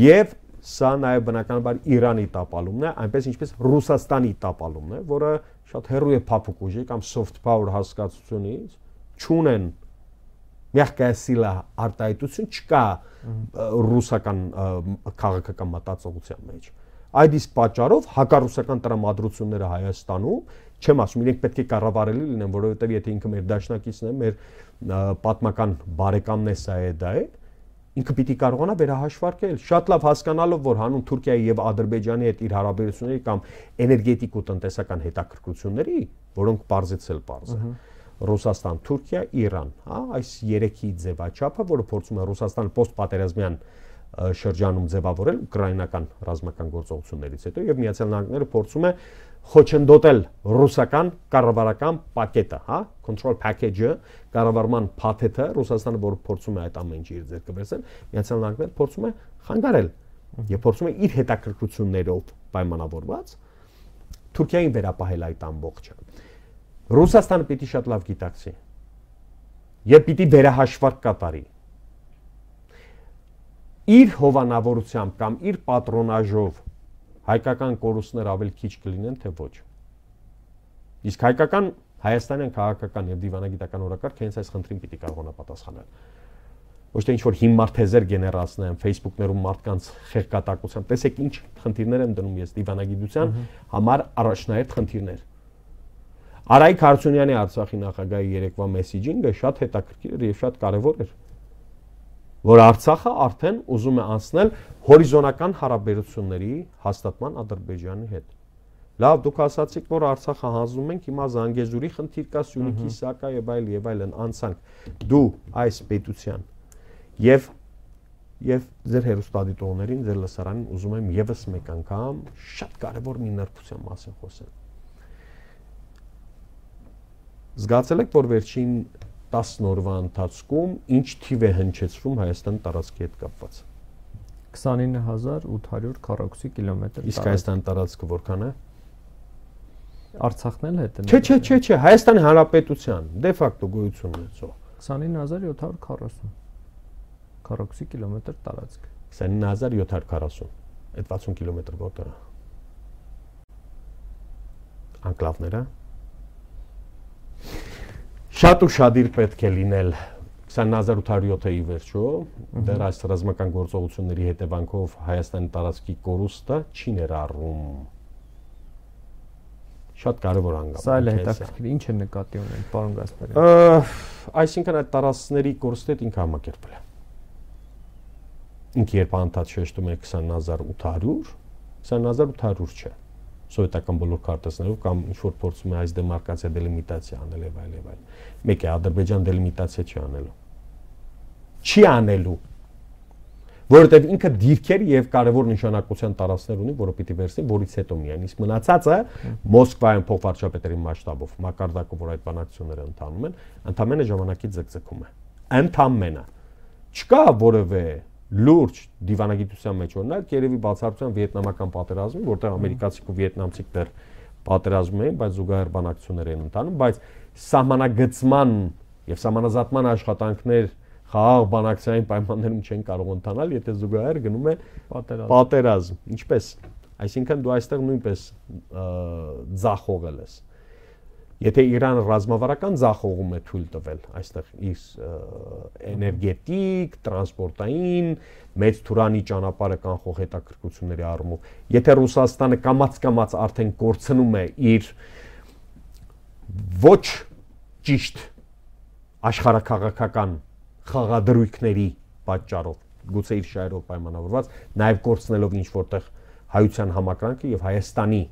Եվ սա նաև բնականաբար Իրանի տապալումն է, այնպես ինչպես Ռուսաստանի տապալումն է, որը շատ հեռու է փափուկ ուժի կամ soft power հասկացությունից, չունեն մягкая сила արտահայտություն չկա ռուսական քաղաքական մտածողության մեջ։ Այդ իսկ պատճառով հակառուսական տրամադրությունները Հայաստանում, չեմ ասում, իրենք պետք է կառավարելի լինեն, որովհետև եթե ինքը մեր դաշնակիցն է, մեր պատմական բարեկամն է, սա է դա է, ինքը պիտի կարողանա վերահաշվարկել, շատ լավ հասկանալով, որ հանուն Թուրքիայի եւ Ադրբեջանի հետ իր հարաբերությունների կամ էներգետիկ ու տնտեսական հետաքրքրությունների, որոնք բարձեցել բարձ է, Ռուսաստան, Թուրքիա, Իրան, հա, այս երեքի ձևաչափը, որը փորձում է Ռուսաստանը պոստպատերազմյան շրջանում ձևավորել ուկրաինական ռազմական գործողություններից հետո եւ Միացյալ Նահանգները փորձում է խոչընդոտել ռուսական կառավարական պակետը, հա, control package-ը, կառավարման փաթեթը, Ռուսաստանը որ փորձում է այդ ամեն ինչը իր ձեռքը վերցնել, Միացյալ Նահանգները փորձում է խանգարել եւ փորձում է իր հետաքրքրություններով պայմանավորված Թուրքիային վերապահել այդ ամբողջը։ Ռուսաստանը պիտի շատ լավ գիտակցի եւ պիտի վերահաշվարկ կատարի իր հովանավորությամբ կամ իր պատրոնաժով հայկական կորուստներ ավելի քիչ կլինեն, թե ոչ։ Իսկ հայկական հայաստանյան քաղաքական եւ դիվանագիտական օրակարգը հենց այս խնդրին պիտի կարողանա պատասխանել։ Ոչ թե ինչ-որ հիմար թեզեր գեներացնեն, Facebook-ներում մարդկանց խեղկատակությամբ, տեսեք ինչ խնդիրներ եմ դնում ես դիվանագիտության համար առաջնահերթ խնդիրներ։ Արայիկ Հարությունյանի Արցախի նախագահի երեկվա մեսեջինգը շատ հետաքրքիր էր եւ շատ կարեւոր էր, որ Արցախը արդեն ուզում է անցնել հորիզոնական հարաբերությունների հաստատման Ադրբեջանի հետ։ Լավ, դուք ասացիք, որ Արցախը հանձնում ենք, հիմա Զանգեզուրի խնդիր կա, Սյունիքի սակա եւ այլ եւ այլն անցանք։ Դու այս պետության եւ եւ ձեր հերոստատիտողներին, ձեր լսարանին ուզում եմ եւս մեկ անգամ շատ կարեւոր մի նրբության մասին խոսել։ Զգացել եք, որ վերջին տասն օրվա ընթացքում ինչ թիվ է հնչեցվում Հայաստան տարածքի հետ կապված։ քսանինը հազար ութ հարյուր քառակուսի կիլոմետր։ Իսկ Հայաստան տարածքը որքան է։ Արցախն էլ հետ է։ Չէ, չէ, չէ, չէ, Հայաստանի Հանրապետության դե ֆակտո գոյություն ունեցող։ քսանինը հազար յոթ հարյուր քառասուն քառակուսի կիլոմետր տարածք։ քսանինը հազար յոթ հարյուր քառասուն։ Այդ վաթսուն կիլոմետր որտեղ է։ Անկլավները։ Շատ ու շադիր պետք է լինել քսանինը հազար ութ հարյուր յոթը ի վերջո, դեռ այս ռազմական գործողությունների հետևանքով Հայաստանի տարածքի կորուստը չի ներառում։ Շատ կարևոր անգամ։ Սա էլ հետաքրքիր, ինչ է նկատի ունեն, պարոն Գասպարյան։ Այսինքն այդ տարածքների կորուստը ինքը համակերպել է։ Ինքը երբ անդադ շեշտում է քսանինը հազար ութ հարյուր, քսանինը հազար ութ հարյուր չէ։ Սովետական բոլոր քարտեզներով կամ ինչ որ փորձում է այս դեմարկացիա դելիմիտացիա անել եւ այլ եւ այլ։ Մեկ է Ադրբեջան դելիմիտացիա չի անելու։ Չի անելու։ Որովհետեւ ինքը դիրքեր եւ կարեւոր նշանակության տարածքներ ունի, որը պիտի վերցնի, որից հետո միայն իսկ մնացածը Մոսկվայում փոխվարչապետերի մասշտաբով մակարդակով որ այդ բանակցությունները ընթանում են, ընդամենը ժամանակի ձգձգում է։ Ընդամենը։ Չկա որևէ լուրջ դիվանագիտության մեջ օրինակ երևի բացառությամբ վիետնամական պատերազմի, որտեղ ամերիկացիք ու վիետնամցիք դեռ պատերազմում էին, բայց զուգահեռ բանակցություններ էին ընթանում, բայց սահմանագծման եւ սահմանազատման աշխատանքներ խաղաղ բանակցային պայմաններում չեն կարող ընթանալ, եթե զուգահեռ գնում է պատերազմ։ Ինչպես, այսինքն դու այստեղ նույնպես ձախողել ես։ Եթե Իրանը ռազմավարական ձախողում է թույլ տվել այստեղ իր էներգետիկ, տրանսպորտային, մեծ թուրանի ճանապարհը կանխող հետաքրքրությունների առումով, եթե Ռուսաստանը կամաց-կամաց արդեն կորցնում է իր ոչ ճիշտ աշխարհաքաղաքական խաղադրույքների պատճառով, գուցե իր շահերով պայմանավորված, նաև կորցնելով ինչ որտեղ հայության համակրանքը եւ Հայաստանի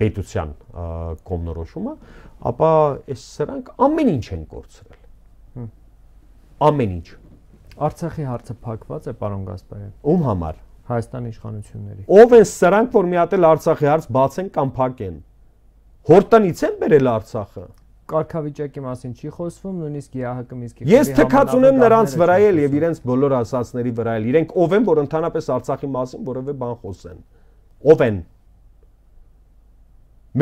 պետության կողմնորոշումը, ապա այս սրանք ամեն ինչ են կորցրել։ Ամեն ինչ։ Արցախի հարցը փակված է, պարոն Գասպարյան։ Ում համար։ Հայաստանի իշխանությունների։ Ով են սրանք, որ մի հատ էլ Արցախի հարց բացեն կամ փակեն։ Հորտնից են բերել Արցախը։ Կարգավիճակի մասին չի խոսվում, նույնիսկ ԵԱՀԿ Մինսկի։ Ես թքած ունեմ նրանց վրա էլ եւ իրենց բոլոր ասածների վրա էլ։ Իրենք ով են, որ ընդհանրապես Արցախի մասին որևէ բան խոսեն։ Ով են։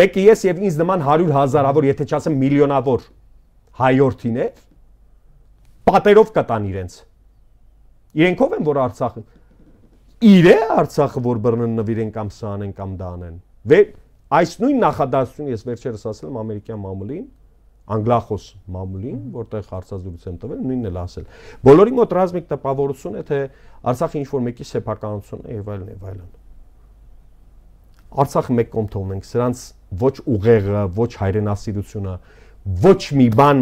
Մեկը ես եւ ինձ նման հարյուր հազարավոր, եթե չասեմ միլիոնավոր հայորդիներ պատերով կտան իրենց։ Իրենք ով են, որ Արցախը իր է Արցախը, որ բռնեն նվիրեն կամ սանեն կամ դանեն։ Վեր այս նույն նախադասությունը ես վերջերս ասել եմ ամերիկյան մամուլին, անգլախոս մամուլին, որտեղ հարցազրույց եմ տվել, նույնն էլ ասել։ Բոլորի մոտ ռազմիկ տպավորություն է, թե Արցախը ինչ-որ մեկի սեփականությունն է եւ այլն եւ այլն։ Արցախը մեկ կողմ թողնենք, սրանց ոչ ուղեղը, ոչ հայրենասիրությունը, ոչ մի բան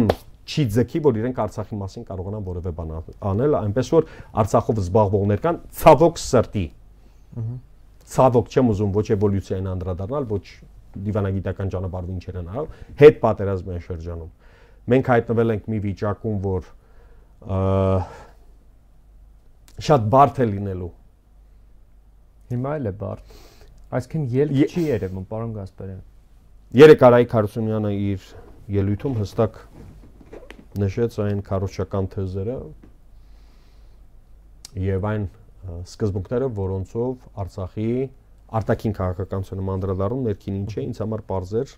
չի ձգի, որ իրենք Արցախի մասին կարողանան որևէ բան անել, այնպես որ Արցախով զբաղվողներ կան ցավոք սրտի։ Ցավոք չեմ ուզում ոչ էվոլյուցիային անդրադառնալ, ոչ դիվանագիտական ճանապարհով ինչեր են արել, հետ պատերազմային շրջանում։ Մենք հայտնվել ենք մի վիճակում, որ շատ բարդ է լինելու։ Հիմա էլ է բարդ։ Այսինքն ելք չի երևում, պարոն Գասպարյան։ Երեք Արայիկ Հարությունյանը իր ելույթում հստակ նշեց այն քարոզչական թեզերը եւ այն սկզբունքները, որոնցով Արցախի արտաքին քաղաքականությունը անդրադառնում ներքին ինչ է, ինձ համար պարզ էր,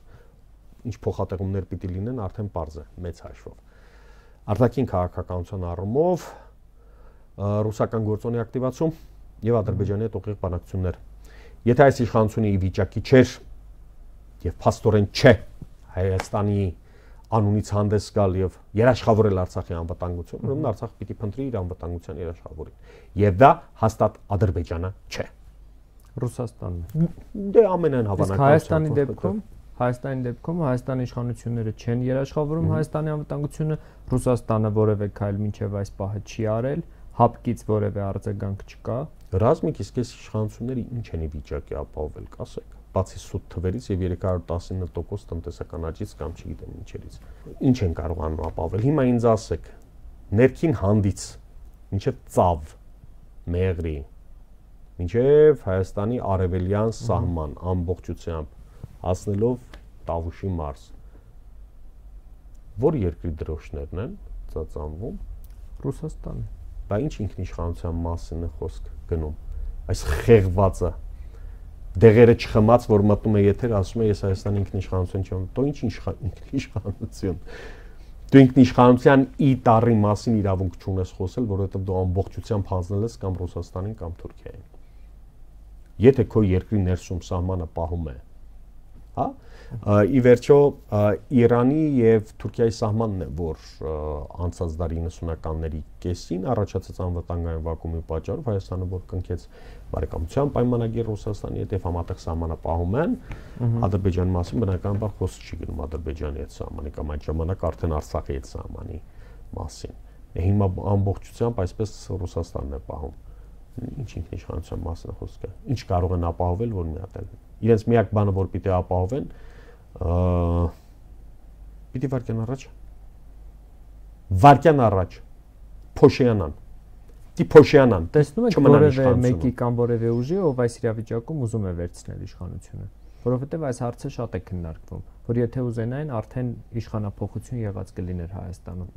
ինչ փոխատեղումներ պիտի լինեն, արդեն պարզ է, մեծ հաշվով։ Արտաքին քաղաքականության առումով ռուսական գործոնի ակտիվացում եւ Ադրբեջանի հետ ուղիղ բանակցություններ։ Եթե այս իշխանությունը ի վիճակի չէր եւ փաստորեն չէ Հայաստանի անունից հանդես գալ եւ երաշխավորել Արցախի անվտանգությունը, ուրեմն Արցախը պիտի փնտրի իր անվտանգության երաշխավորին։ Եվ դա հաստատ Ադրբեջանը չէ։ Ռուսաստանն։ Դե ամենայն հավանականությամբ Հայաստանի դեպքում Հայաստանի դեպքում Հայաստանի իշխանությունները չեն երաշխավորում Հայաստանի անվտանգությունը, Ռուսաստանը որևէ քայլ մինչև այս պահը չի արել, հապկից որևէ արձագանք չկա։ Ռազմիկ իսկ այս իշխանությունները ինչ են ի վիճակի ապահովել, կասեք, բացի սուտ թվերից եւ երեք հարյուր տասնինը տոկոս տնտեսական աճից կամ չգիտեմ ինչերից։ Ինչ են կարողանում ապահովել։ Հիմա ինձ ասեք, ներքին հանդից, մինչև ծավ, մեղրի, մինչև Հայաստանի արևելյան սահման ամբողջությամբ հասնելով Տավուշի մարզ։ Որ երկրի դրոշներն են ծածանվում? Ռուսաստանը։ Բա ինչ ինքնիշխանության մասին է խոսք գնում։ Այս խեղվածը դեղերը չխմած, որ մտնում է եթեր, ասում է ես Հայաստանի ինքնիշխանություն չեմ։ Դու ինչ ինքնիշխանություն։ Դու ինքնիշխանության ի տառի մասին իրավունք չունես խոսել, որովհետև դու ամբողջությամբ հանձնել ես կամ Ռուսաստանին կամ Թուրքիային։ Եթե քո երկրի ներսում սահմանը պահում է, հա, ի վերջո Իրանի եւ Թուրքիայի սահմանն է, որ անցած դարի իննսունականների կեսին առաջացած անվտանգային վակուումի պատճառով Հայաստանը որ կնքեց բարեկամության պայմանագիր Ռուսաստանի հետ եւ համատեղ սահմանը պահում են, Ադրբեջանի մասին բնականաբար խոսք չի գնում Ադրբեջանի հետ սահմանի կամ այդ ժամանակ արդեն Արցախի հետ սահմանի մասին։ Հիմա ամբողջությամբ այսպես Ռուսաստանն է պահում։ Ինչ ինքնիշխանության մասին է խոսքը։ Ինչ կարող են ապահովել, որ մի հատ էլ իրենց միակ բանը, որ պիտի ապահովեն, պիտի վարկյան առաջ վարկյան առաջ փոշյանան դի փոշյանան տեսնում եք որևէ մեկի կամ որևէ ուժի, ով այս իրավիճակում ուզում է վերցնել իշխանությունը, որովհետև այս հարցը շատ է քննարկվում, որ եթե ուզենային արդեն իշխանափոխություն եղած կլիներ Հայաստանում։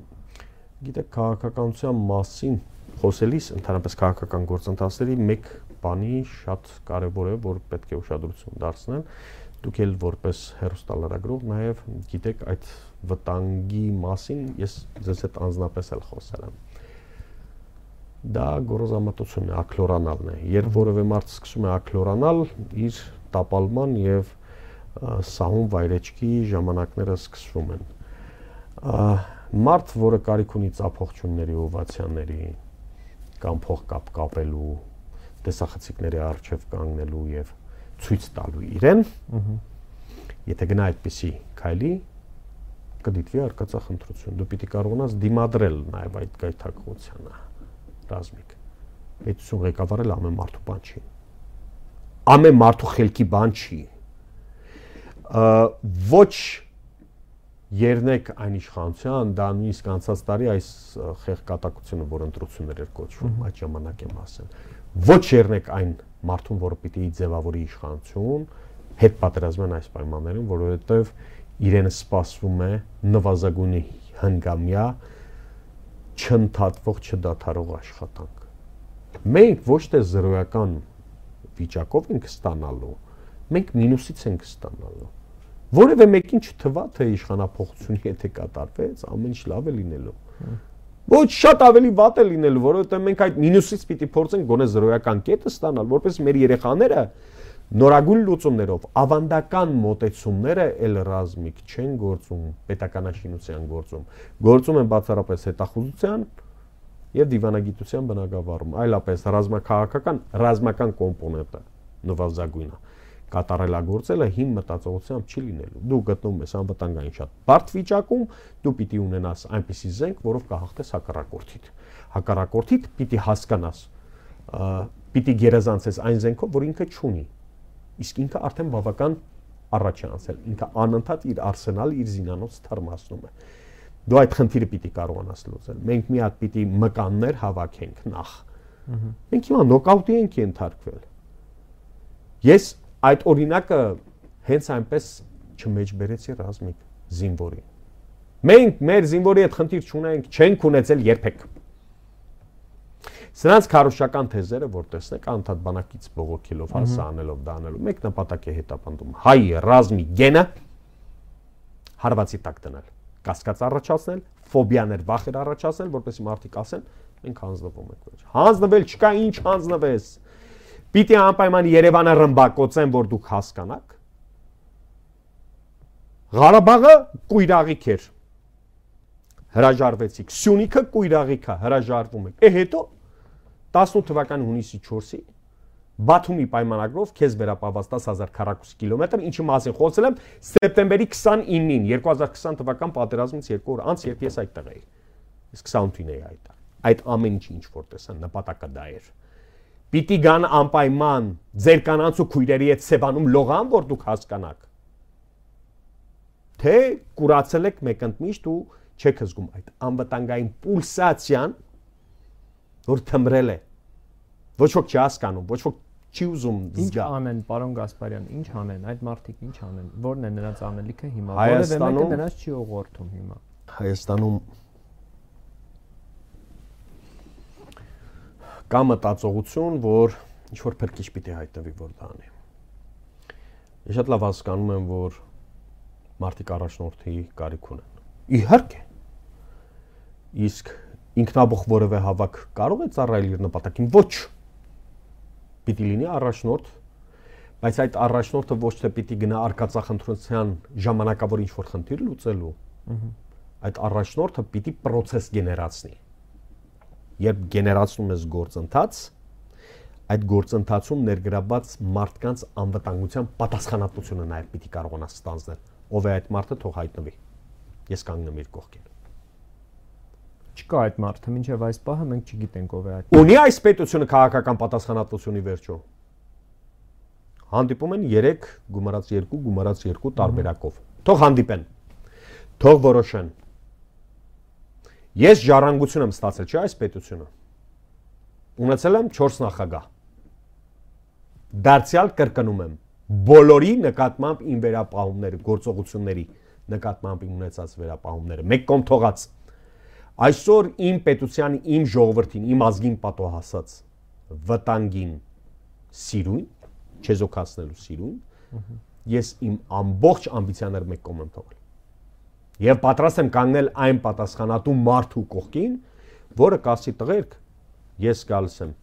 Գիտեք, քաղաքականության մասին խոսելիս ընդհանրապես քաղաքական գործընթացների մեկ բանի շատ կարևոր է, որ պետք է ուշադրություն դարձնել։ Դուք էլ որպես հեռուստալրագրող նաև գիտեք այդ վտանգի մասին, ես ձեզ հետ անձնապես էլ խոսել եմ։ Դա գոռոզամտությունն է, ակլորանալն է։ Երբ որևէ մարդ սկսում է ակլորանալ, իր տապալման եւ սահուն վայրեջքի ժամանակները սկսվում են։ Մարդ, որը կարիք ունի ծափողջունների, օվացիաների կամ փողկապ կապելու, տեսախցիկների առջև կանգնելու եւ ցույց տալու իրեն, եթե գնա այդպիսի քայլի, կդիտվի արկածախնդրություն։ Դու պիտի կարողանաս դիմադրել նաեւ այդ գայթակղությանը, ռազմիկ։ Պետություն ղեկավարել ամեն մարդու բան չի։ Ամեն մարդու խելքի բան չի։ Ոչ Երնեք այն իշխանության, դա նույնիսկ անցած տարի այս խեղկատակությունը, որ ընտրություններ էր կոչվում, այդ ժամանակ եմ ասել։ Ոչ երնեք այն մարդուն, որը պիտի ձևավորի իշխանություն, հետ պատերազմյան այս պայմաններում, որովհետև իրենը սպասվում է նվազագույնի հնգամյա չընդհատվող, չդադարող աշխատանք։ Մենք ոչ թե զրոյական վիճակով ենք ստանալու, մենք մինուսից ենք ստանալու։ Որևէ մեկին չթվա, թե իշխանափոխությունը եթե կատարվեց, ամեն ինչ լավ է լինելու։ Ոչ շատ ավելի վատ է լինելու, որովհետև մենք այդ մինուսից պիտի փորձենք գոնե զրոյական կետը ստանալ, որպես մեր երեխաները նորագույն լուծումներով, ավանդական մոտեցումները էլ ռազմիկ չեն գործում, պետականաշինության գործում, գործում են բացառապես հետախուզության եւ դիվանագիտության բնագավառում, այլապես ռազմաքաղաքական ռազմական կոմպոնենտը նվազագույնը։ կատարելագործելը հիմ մտածողությամբ չի լինելու։ Դու գտնվում ես անվտանգային շատ բարդ վիճակում, դու պիտի ունենաս այնպիսի զենք, որով կհաղթես հակառակորդիդ։ Հակառակորդիդ պիտի հասկանաս, պիտի գերազանցես այն զենքով, որ ինքը չունի։ Իսկ ինքը արդեն բավական առաջ է անցել, ինքը անընդհատ իր արսենալը, իր զինանոց թարմացնում է։ Դու այդ խնդիրը պիտի կարողանաս լուծել։ Մենք մի հատ պիտի մկաններ հավաքենք նախ։ Մենք հիմա նոկաուտի ենք ենթարկվել։ Ես այդ օրինակը հենց այնպես չմեջբերեցի Ռազմիկ զինվորին։ Մենք մեր զինվորի հետ խնդիր չունենք, չենք ունեցել երբեք։ Սրանց քարոշչական թեզերը, որ տեսնեք, անդադ բանակից բողոքելով, հասա անելով, դա անելով, մեկ նպատակ է հետապնդում։ Հայ ռազմի գենը հարվածի տակ դնել, կասկած առաջացնել, ֆոբիաներ, վախեր առաջացնել, որպեսզի մարդիկ ասեն, մենք հանձնվում ենք վերջ։ Հանձնվել չկա, ինչ հանձնվես։ Պիտի անպայման Երևանը ռմբակոծեն, որ դուք հասկանաք։ Ղարաբաղը կույրաղիք էր։ Հրաժարվեցիք։ Սյունիքը կույրաղիք է, հրաժարվում եք։ Է հետո տասնութ թվականի հունիսի չորսի Բաթումի պայմանագրով քեզ վերապահված դաս հազար քառակուսի կիլոմետր, ինչի մասին խոսել եմ սեպտեմբերի քսանինին երկու հազար քսան թվական պատերազմից երկու օր անց, երբ ես այդտեղ էի։ Իսկ քսանութին էի այդտեղ։ Այդ ամեն ինչը ինչ որ տեսան, նպատակը դա էր։ Պիտի գան անպայման ձեր կանանց ու քույրերի հետ Սևանում լողան, որ դուք հասկանաք։ Թե կուրացել եք մեկընդմիշտ ու չեք զգում այդ անվտանգային պուլսացիան, որ թմրել է։ Ոչ ոք չի հասկանում, ոչ ոք չի ուզում զգա։ Ինչ անեն, պարոն Գասպարյան, ինչ անեն, այդ մարդիկ ինչ անեն, որն է նրանց անելիքը հիմա, որևէ մեկը նրանց չի ուղղորդում հիմա։ Հայաստանում կա մտածողություն, որ ինչ որ փրկիչ պիտի հայտնվի, որ դա անի։ Ես շատ լավ հասկանում եմ, որ մարդիկ առաջնորդի կարիք ունեն։ Իհարկե։ Իսկ ինքնաբուխ որևէ հավաք կարող է ծառայել իր նպատակին, ոչ։ Պիտի լինի առաջնորդ, բայց այդ առաջնորդը ոչ թե պիտի գնա արկածախնդրության ժամանակավոր ինչ-որ խնդիր լուծելու, այդ առաջնորդը պիտի պրոցես գեներացնի։ Երբ գեներացնում ես գործընթաց, այդ գործընթացում ներգրավված մարդկանց անվտանգության պատասխանատվությունը նաև պիտի կարողանաս ստանձնել, ով է այդ մարդը, թող հայտնվի։ Ես կանգնեմ իր կողքին։ Չկա այդ մարդը, մինչև այս պահը մենք չգիտենք ով է այդ։ Ունի այս պետությունը քաղաքական պատասխանատվությունի վերջո։ Հանդիպում են երեք, գումարած երկու, գումարած երկու տարբերակով։ Թող հանդիպեն։ Թող որոշեն։ Ես ժառանգություն եմ ստացել, չէ՞ այս պետությունը։ Ունեցել եմ չորս նախագահ։ Դարձյալ կրկնում եմ, բոլորի նկատմամբ իմ վերապահումները, գործողությունների նկատմամբ իմ ունեցած վերապահումները, մեկ կողմ թողած։ Այսօր իմ պետության, իմ ժողովրդին, իմ ազգին պատոհասած վտանգին սիրուն, չեզոքացնելու սիրուն, ես իմ ամբողջ ամբիցիաները մեկ կողմ եմ թողել։ Եվ պատրաստ եմ կանգնել այն պատասխանատու մարդու կողքին, որը կասի տղերք, ես գալիս եմ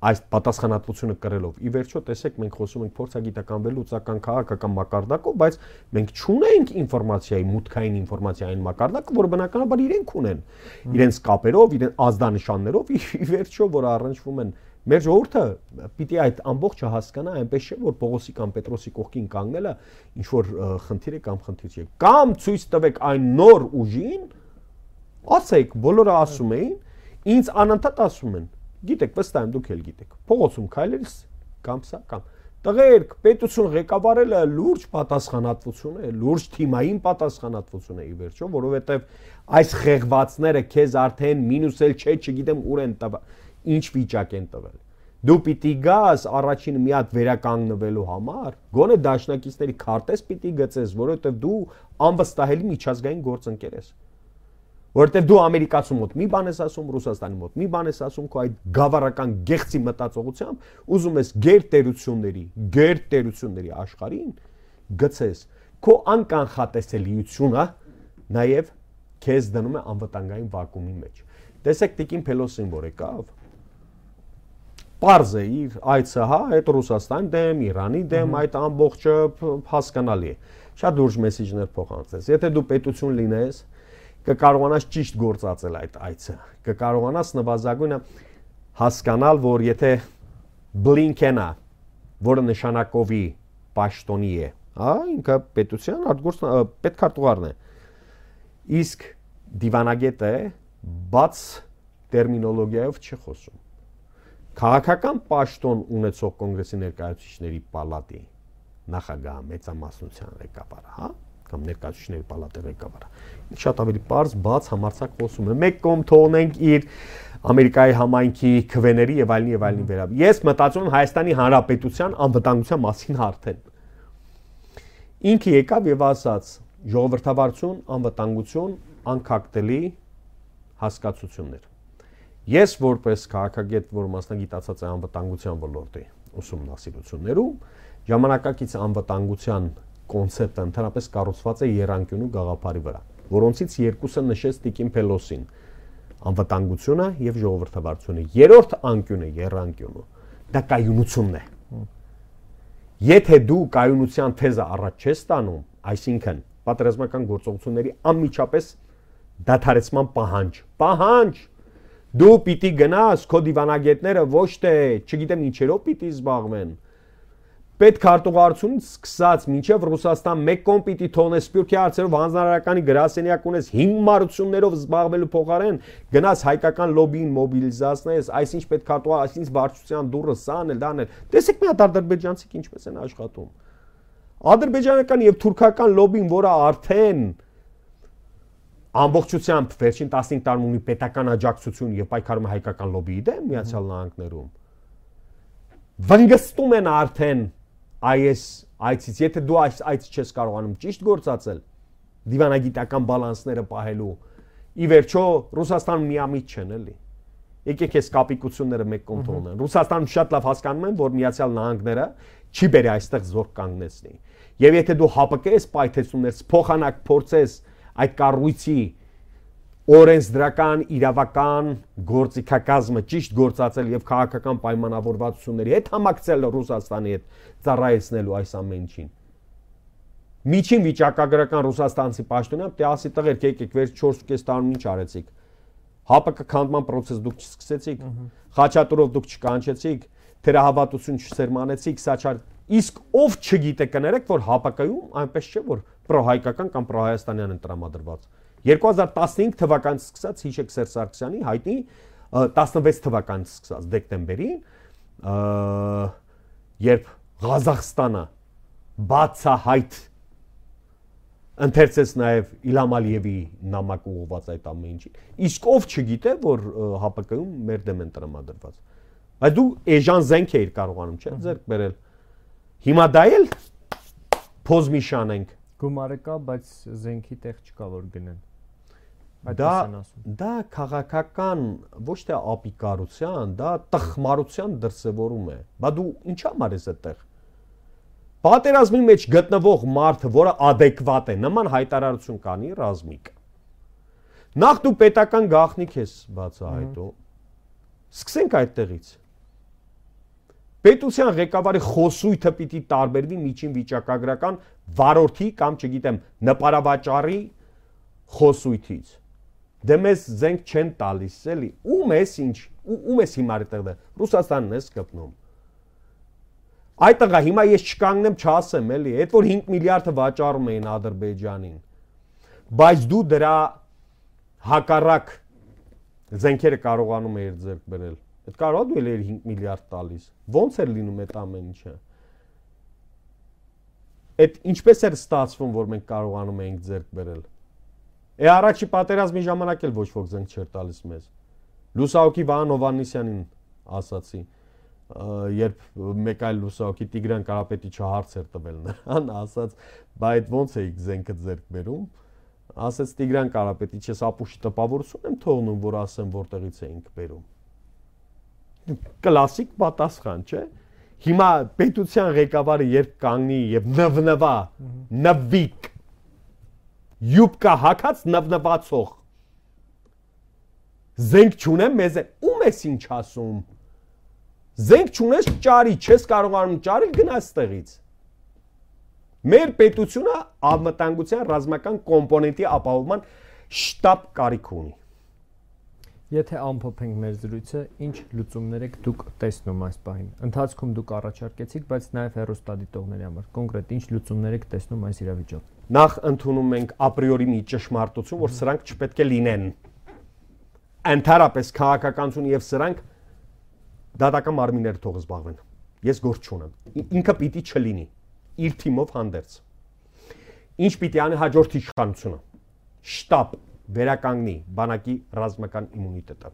այս պատասխանատվությունը կրելով։ Ի վերջո, տեսեք, մենք խոսում ենք փորձագիտական վերլուծական քաղաքական մակարդակով, բայց մենք չունենք ինֆորմացիայի, մուտքային ինֆորմացիային մակարդակը, որը բնականաբար իրենք ունեն, իրենց կապերով, իրենց ազդանշաններով, ի վերջո, որ առնչվում են։ Մեր ժողովուրդը պիտի այդ ամբողջը հասկանա, այնպես չէ, որ Պողոսի կամ Պետրոսի կողքին կանգնելը ինչ որ խնդիր է կամ խնդիր չէ։ Կամ ցույց տվեք այն նոր ուժին, ասեք, բոլորը ասում էին, ինձ անընդհատ ասում են, գիտեք, վստահ եմ դուք էլ գիտեք, փողոցում քայլելիս կամ սա կամ տղերք, պետություն ղեկավարելը լուրջ պատասխանատվություն է, լուրջ թիմային պատասխանատվություն է ի վերջո, որովհետև այս խեղվածները քեզ արդեն մինուս էլ չէ, չգիտեմ ուր են տվել, ինչ վիճակ են տվել։ Դու պիտի գաս առաջին մի հատ վերականգնվելու համար, գոնե դաշնակիցների քարտեզ պիտի գծես, որովհետև դու անվստահելի միջազգային գործընկեր ես։ Որովհետև դու ամերիկացու մոտ մի բան ես ասում, Ռուսաստանի մոտ մի բան ես ասում, քո այդ գավառական գեղցի մտածողությամբ ուզում ես գերտերությունների, գերտերությունների աշխարհին գցես։ Քո անկանխատեսելիությունը նաև քեզ դնում է անվտանգային վակուումի մեջ։ Տեսեք Տիկին Փելոսին, որ եկավ, պարզ է իր այցը, հա, այդ Ռուսաստանի դեմ, Իրանի դեմ, այդ ամբողջը հասկանալի է։ Շատ լուրջ մեսեջներ փոխանցես։ Եթե դու պետություն լինես, կկարողանաս ճիշտ գործածել այդ այցը, կկարողանաս նվազագույնը հասկանալ, որ եթե Բլինքենը, որը նշանակովի պաշտոնի է, հա, ինքը պետության արտգործ պետքարտուղարն է։ Իսկ դիվանագետը բաց տերմինոլոգիայով չի խոսում։ Քաղաքական պաշտոն ունեցող կոնգրեսի ներկայացուցիչների պալատի նախագահ մեծամասնության ղեկավարը, հա, կամ ներկայացուցիչների պալատի ղեկավարը։ Շատ ավելի པարզ, բաց, համարձակ խոսում է։ Մեկ կողմ թողնենք իր Ամերիկայի համայնքի քվեների եւ այլն եւ այլնի վերաբերյալ։ Ես մտածում եմ Հայաստանի Հանրապետության անվտանգության մասին արդեն։ Ինքը եկավ եւ ասաց. ժողովրդավարություն, անվտանգություն, անկախտելի հասկացություններ։ Ես որպես քաղաքագետ, որ մասնագիտացած է անվտանգության ոլորտի ուսումնասիրություններում, ժամանակակից անվտանգության կոնցեպտը ընդհանրապես կառուցված է եռանկյունու գաղափարի վրա, որոնցից երկուսը նշեց Տիկին Փելոսին՝ անվտանգությունը եւ ժողովրդավարությունը։ Երրորդ անկյունը, եռանկյունը, դա կայունությունն է։ Եթե դու կայունության թեզը առաջ չես տանում, այսինքն պատերազմական գործողությունների անմիջապես դադարեցման պահանջ, պահանջ, դու պիտի գնաս, քո դիվանագետները ոչ թե, չգիտեմ ինչերով պիտի զբաղվեն, պետքարտուղարությունից սկսած մինչև Ռուսաստան մեկ կողմ պիտի թողնես Սփյուռքի հարցերով հանձնարարականի գրասենյակ ունես հիմնարություններով զբաղվելու փոխարեն գնաս հայկական լոբիին մոբիլիզացնես, այսինչ պետքարտուղար, այսինչ վարչության դուրը սան էլ դան էլ։ Տեսեք մի հատ ադրբեջանցիք ինչպես են աշխատում։ Ադրբեջանական եւ թուրքական լոբին, որը արդեն ամբողջությամբ վերջին տասնհինգ տարում ունի պետական աջակցություն եւ պայքարում է հայկական լոբիի դեմ Միացյալ Նահանգներում, վնգստում են արդեն այս այցից, եթե դու այս այցը չես կարողանում ճիշտ գործածել, դիվանագիտական բալանսները պահելու, ի վերջո Ռուսաստանում միամիտ չեն էլի։ Եկեք այս կապիկությունները մեկ կողմ թողնեն։ Ռուսաստանում շատ լավ հասկանում են, որ Միացյալ Նահանգները չի բերի այստեղ զորք կանգնեցնի։ Եվ եթե դու հապկես պայթեցումներ, փոխանակ փորձես այդ կառույցի օրենսդրական, իրավական գործիքակազմը ճիշտ գործածել եւ քաղաքական պայմանավորվածությունների հետ համակցել Ռուսաստանի հետ ծառայեցնելու այս ամենին։ Միջին վիճակագրական ռուսաստանցի պաշտոնյա դե ասի տղերք, եկեք վերջ չորս ու կես տարում ինչ արեցիք։ ՀԱՊԿ քանդման process դուք չսկսեցիք, Խաչատուրով դուք չկանչեցիք, թերահավատություն չսերմանեցիք, սա չար։ Իսկ ով չգիտե կներեք, որ ՀԱՊԿ-ում այնպես չէ, որ պրոհայկական կամ պրոհայաստանյան են տրամադրված։ երկու հազար տասնհինգ թվականից սկսած հիշեք Սերժ Սարգսյանի հայտնի տասնվեց թվականից սկսած դեկտեմբերին, երբ Ղազախստանը բացահայտ ընթերցեց նաև Իլհամ Ալիևի նամակ ուղղված այդ ամեն ինչի։ Իսկ ով չգիտե, որ ՀԱՊԿ-ում մեր դեմ են տրամադրված։ Բայց դու էժան զենք էիր կարողանում, չէ՞, ձեռք բերել։ Հիմա դա էլ փոզ մի շանենք։ Գումարը կա, բայց զենքի տեղ չկա որ գնեն։ Դա դա քաղաքական ոչ թե ապիկարության, դա տխմարության դրսևորում է։ Բա դու ինչ համար ես այդտեղ։ Պատերազմի մեջ գտնվող մարդը, որը adekvat է, նման հայտարարություն կանի ռազմիկ։ Նախ դու պետական գաղտնիք ես բացահայտում։ Սկսենք այդտեղից։ Պետության ղեկավարի խոսույթը պիտի տարբերվի միջին վիճակագրական վարորդի կամ չգիտեմ նպարավաճառի խոսույթից։ Դե մեզ զենք չեն տալիս, էլի։ Ում ես ինչ, ում ես հիմա այդտեղ։ Ռուսաստանն ես կպնում։ Այդ տղա հիմա ես չկանգնեմ չասեմ, էլի, այդ որ հինգ միլիարդը վաճառում էին Ադրբեջանին։ Բայց դու դրա հակառակ զենքերը կարողանում էիր ձեռք բերել։ Այդ կարող դու էլ էր հինգ միլիարդ տալիս։ Ոնց էր լինում այդ ամեն ինչը։ Այդ ինչպես էր ստացվում, որ մենք կարողանում էինք ձեռք բերել։ Է առաջի պատերազմի ժամանակ էլ ոչ ոք զենք չէր տալիս մեզ։ Լուսահոգի Վահան Հովհաննիսյանին ասացի, երբ մեկ այլ լուսահոգի Տիգրան Կարապետիչը հարց էր տվել նրան, ասաց, բա այդ ոնց էիք զենքը ձեռք բերում։ Ասաց Տիգրան Կարապետիչը, ապուշի տպավորություն եմ թողնում, որ ասեմ որտեղից էինք բերում։ Կլասիկ պատասխան, չէ՞։ Հիմա պետության ղեկավարը երբ կանգնի եւ նվնվա, նվիկ, յուբկա հակած նվնվացող, զենք չունեմ մեզ է, ում ես ինչ ասում։ Զենք չունես ճարի, չես կարողանում ճարել գնաս տեղից։ Մեր պետությունը անվտանգության ռազմական կոմպոնենտի ապահովման շտապ կարիք ունի։ Եթե ամփոփենք մեր զրույցը, ինչ լուծումներ եք դուք տեսնում այս պահին։ Ընթացքում դուք առաջարկեցիք, բայց նաև հեռուստադիտողների համար կոնկրետ ինչ լուծումներ եք տեսնում այս իրավիճակում։ Նախ ընդունում ենք ապրիորի մի ճշմարտություն, որ սրանք չպետք է լինեն։ Ընդհանրապես քաղաքականություն եւ սրանք դատական մարմինները թող զբաղվեն։ Ես գործ չունեմ։ Ինքը պիտի չլինի։ Իր թիմով հանդերձ։ Ինչ պիտի անի հաջորդ իշխանությունը։ Շտաբ վերականգնի բանակի ռազմական իմունիտետը։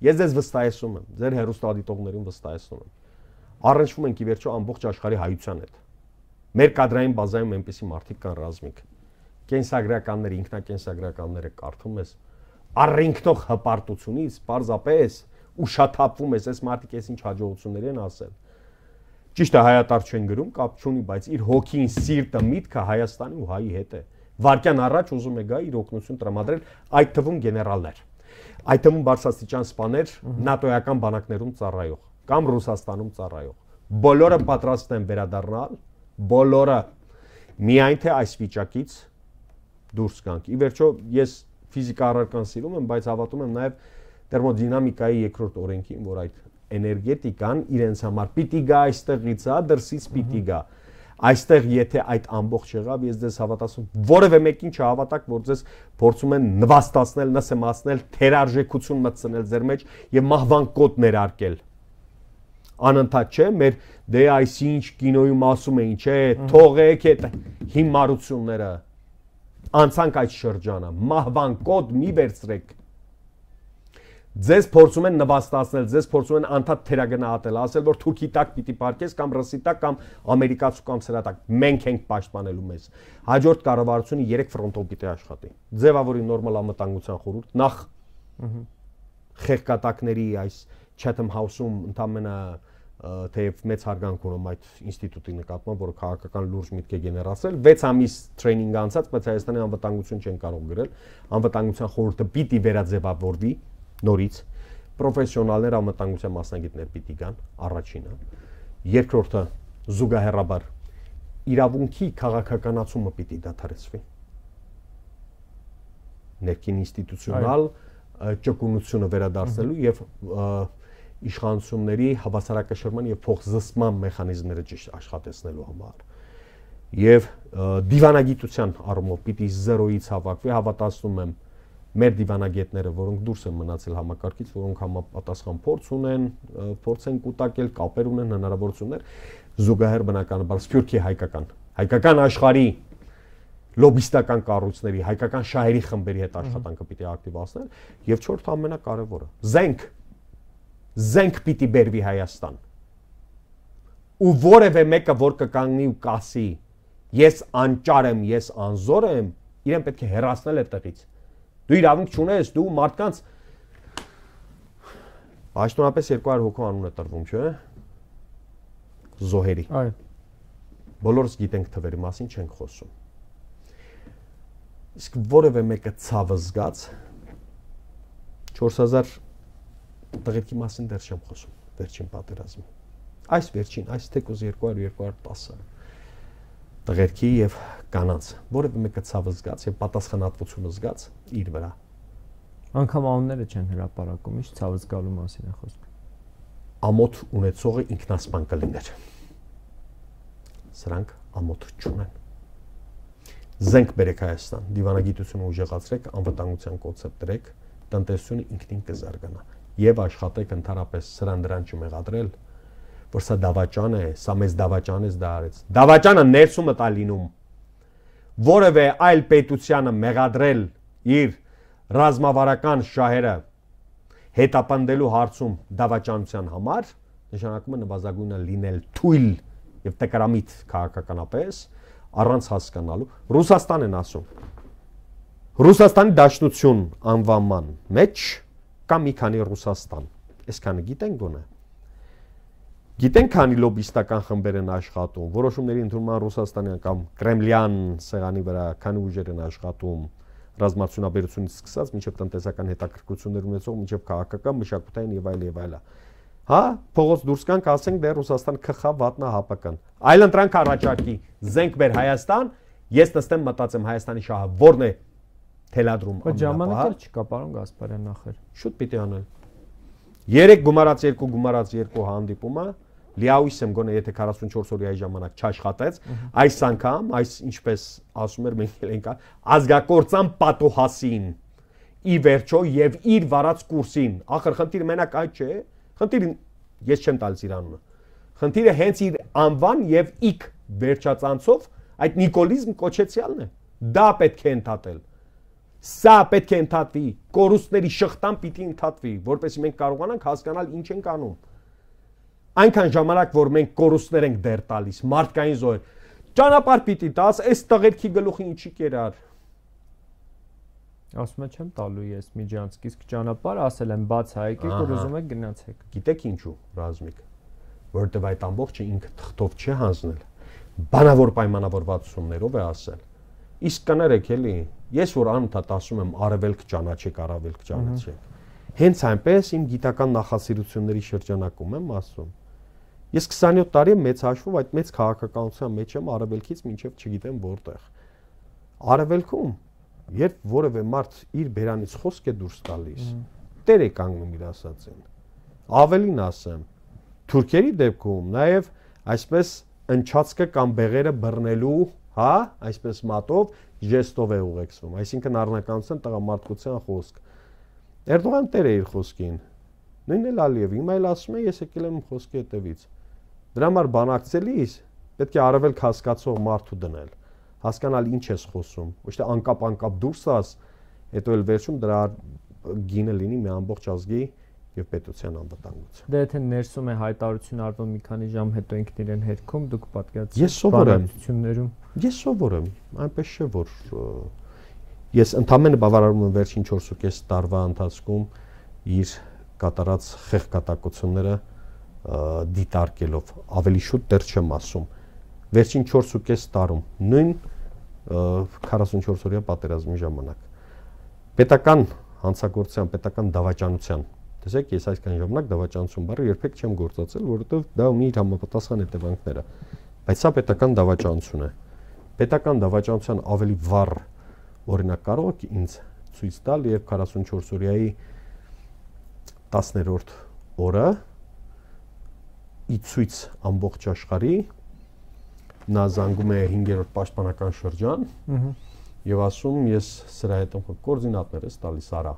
Ես ձեզ վստահեցնում եմ, ձեր հեռուստադիտողներին վստահեցնում եմ։ Առնչվում ենք ի վերջո ամբողջ աշխարհի հայության հետ։ Մեր կադրային բազայում այնպիսի մարդիկ կան ռազմիկ։ Կենսագրականները, ինքնակենսագրականները կարդում ես, առինքնող հպարտությունից պարզապես ուշաթափվում ես, այս մարդիկ էս ինչ հաջողություններ են ասել։ Ճիշտ է, հայատար չեն գրում, կապ չունի, բայց իր հոգին, սիրտը, միտքը Հայաստանի ու հայի հետ է։ Վարկյան առաջ ուզում է գա իր օգնություն տրամադրել, այդ թվում գեներալներ, այդ թվում բարձրաստիճան սպաներ նատոյական բանակներում ծառայող կամ Ռուսաստանում ծառայող։ Բոլորը պատրաստ են վերադառնալ, բոլորը, միայն թե այս վիճակից դուրս գանք։ Ի վերջո ես ֆիզիկա առարկան սիրում եմ, բայց հավատում եմ նաև թերմոդինամիկայի երկրորդ օրենքին, որ այդ էներգետիկան իրենց համար պիտի գա այստեղից, հա, դրսից պիտի գա։ Այստեղ եթե այդ ամբողջ եղավ, ես ձեզ հավատացում, որևէ մեկին չհավատակ, որ ձեզ փորձում են նվաստացնել, նսեմացնել, թերարժեքություն մտցնել ձեր մեջ եւ մահվան կոդ ներարկել։ Անընդհատ չէ, մեր դե այս ինչ կինոյում ասում էին, չէ, թողեք այդ հիմարությունները։ Անցանք այդ շրջանը, մահվան կոդ մի վերցրեք։ Ձեզ փորձում են նվաստացնել, ձեզ փորձում են անդադ թերագնահատել, ասել որ թուրքի տակ պիտի պարկես կամ ռուսի տակ կամ ամերիկացու կամ սրա տակ։ Մենք ենք պաշտպանելու մեզ։ Հաջորդ կառավարությունը երեք ֆրոնտով պիտի աշխատի։ Ձևավորի նորմալ անվտանգության խորհուրդ, նախ խեղկատակների այս Chatham House-ում ընդամենը թեև մեծ հարգանք ունեմ այդ ինստիտուտի նկատմամբ, որը քաղաքական լուրջ միտք է գեներացրել, վեց ամիս տրեյնինգ անցած, բայց Հայաստանի անվտանգություն չեն կարող գրել, անվտանգության խորհուրդը պիտի վերաձևավորվի նորից, պրոֆեսիոնալներ անվտանգության մասնագետներ պիտի գան, առաջինը, երկրորդը զուգահեռաբար իրավունքի քաղաքականացումը պիտի դադարեցվի, ներքին ինստիտուցիոնալ ճկունությունը վերադարձնելու եւ իշխանությունների հավասարակշռման եւ փոխզսման մեխանիզմները ճիշտ աշխատեցնելու համար եւ դիվանագիտության առումով պիտի զերոյից հավաքվի, հավատացնում եմ մեր դիվանագետները, որոնք դուրս են մնացել համակարգից, որոնք համապատասխան փորձ ունեն, փորձ են կուտակել, կապեր ունեն, հնարավորություններ, զուգահեռ բնականաբար սփյուռքի հայկական, հայկական աշխարհի լոբիստական կառույցների, հայկական շահերի խմբերի հետ աշխատանքը պիտի ակտիվացնել եւ չորրորդ ամենակարևորը, զենք, զենք պիտի բերվի Հայաստան։ Ու որևէ մեկը, որ կկանգնի ու կասի, ես անճար եմ, ես անզոր եմ, իրեն պետք է հեռացնել այդտեղից։ Դու իրավունք չունես, դու մարդկանց Պաշտոնապես երկու հարյուր հոգու անուն է տրվում, չէ՞։ Զոհերի։ Այո։ Բոլորս գիտենք թվերի մասին, չենք խոսում։ Իսկ որևէ մեկը ցավը զգաց չորս հազար տղերքի մասին դեռ չեմ խոսում, վերջին պատերազմի։ Այս վերջին, այս թեկուզ երկու հարյուր երկու հարյուր տասը տղերքի եւ կանանց, որևէ մեկը ցավը զգաց եւ պատասխանատվությունը զգաց իր վրա։ Անկամ անունները չեն հրապարակում, ինչ ցավը զգալու մասին է խոսքը։ Ամոթ ունեցողը ինքնասպան կլիներ։ Սրանք ամոթ չունեն։ Զենք բերեք Հայաստան, դիվանագիտությունը ուժեղացրեք, անվտանգության կոնցեպտ դրեք, տնտեսությունը ինքնին կզարգանա եւ աշխատեք ընդհանրապես սրան դրան չմեղադրել, որ սա դավաճան է, սա մեզ դավաճան է դա արեց։ Դավաճանը ներսումը տա լինում։ Որևէ այլ պետությանը մեղադրել իր ռազմավարական շահերը հետապնդելու հարցում դավաճանության համար, նշանակում է նվազագույնը լինել թույլ եւ տկարամիտ քաղաքականապես առանց հասկանալու։ Ռուսաստան են ասում։ Ռուսաստանի Դաշնություն անվանման մեջ կա մի քանի Ռուսաստան։ Այսքանը գիտենք գոնե։ Գիտենք քանի լոբիստական խմբեր են աշխատում, որոշումների ընդունման Ռուսաստանյան կամ Կրեմլյան սեղանի վրա քանի ուժեր են աշխատում, ռազմարտությունաբերությունից սկսած մինչև տնտեսական հետաքրքրություններ ունեցող, մինչև քաղաքական, մշակութային եւ այլ եւ այլ։ Հա, փողոց դուրս կանք, ասենք դե Ռուսաստան ՔԽ վատնա ՀԱՊԿ-ն։ Այլ ընտրանք առաջարկի, զենք բեր Հայաստան, ես նստեմ մտածեմ Հայաստանի շահը որն է, թելադրում ամենապահ։ Բայց ժամանակը չկա, պարոն Գասպարյան, նախեր։ Շուտ պիտի անել։ երեք գումարած երկու գումարած երկու հանդիպումը լիահույս եմ գոնե եթե քառասունչորս օրյայի ժամանակ չաշխատեց, այս անգամ, այս ինչպես ասում էր մենք ենք ազգակործան պատուհասին ի վերջո եւ իր վարած կուրսին, ախր խնդիրը մենակ այդ չէ, խնդիրը ես չեմ տալիս իր անունը, խնդիրը հենց իր անվան եւ իք վերջածանցով այդ նիկոլիզմ կոչեցյալն է, դա պետք է ընդհատել, սա պետք է ընդհատվի, կորուստների շղթան պիտի ընդհատվի, որպեսզի մենք կարողանանք հասկանալ ինչ ենք անում, այնքան ժամանակ որ մենք կորուստներ ենք դեռ տալիս, մարդկային զոհեր, ճանապարհ պիտի տաս, այս տղերքի գլուխը ինչի կերար Ասում եմ չեմ տալու ես միջանցք, իսկ ճանապարհ ասել եմ բաց հայկեք, որ ուզում եք գնացեք։ Գիտեք ինչու, Ռազմիկ, որովհետև այդ ամբողջը ինքը թղթով չի հանձնել, բանավոր պայմանավորվածություններով է ասել։ Իսկ կներեք էլի, ես որ անընդհատ ասում եմ արևելք ճանաչեք, արևելք ճանաչեք։ Հենց այնպես իմ գիտական նախասիրությունների շրջանակում եմ ասում։ Ես քսանյոթ տարի եմ մեծ հաշվով այդ մեծ քաղաքականության մեջ եմ արևելքից մինչև չգիտեմ որտեղ։ Արևելքում Երբ որևէ մարդ իր բերանից խոսք է դուրս տալիս, տեր է կանգնում իր ասածին։ Ավելին ասեմ, թուրքերի դեպքում նաև այսպես ընչացքը կամ բեղերը բռնելու, հա, այսպես մատով, ժեստով է ուղեկցվում, այսինքն առնականության տղամարդկության խոսք։ Էրդողան տեր է իր խոսքին։ Նույնն էլ Ալիև, հիմա էլ ասում է, ես եկել եմ խոսքի հետևից։ Դրա համար բանակցելիս պետք է արևելք հասկացող մարդու դնել։ Հասկանալ ինչ ես խոսում, ոչ թե անկապ-անկապ դուրս ասես, հետո էլ վերջում դրա գինը լինի մի ամբողջ ազգի եւ պետության անվտանգություն։ Դե եթե ներսում է հայտարարություն արվում մի քանի ժամ հետո ինքն իրեն հերքում, դուք պատկերացրեք Ես սովոր եմ։ Ես սովոր եմ, այնպես չէ որ ես ընդամենը բավարարում եմ վերջին չորսուկես տարվա ընթացքում իր կատարած խեղկատակությունները դիտարկելով, ավելի շուտ դեռ չեմ ասում։ Վերջին չորսուկես տարում նույն քառասունչորս օրյա պատերազմի ժամանակ պետական հանցագործության, պետական դավաճանության, տեսեք, ես այսքան ժամանակ դավաճանություն բառը երբեք չեմ գործածել, որովհետև դա ունի իր համապատասխան հետևանքները, բայց սա պետական դավաճանություն է։ Պետական դավաճանության ավելի վառ օրինակ կարող եք ինձ ցույց տալ, երբ քառասունչորս օրյայի տասներորդ օրը ի ցույց ամբողջ աշխարհի նա զանգում է հինգերորդ պաշտպանական շրջան եւ ասում ես սրա հետ կոորդինատներ ես տալիս արա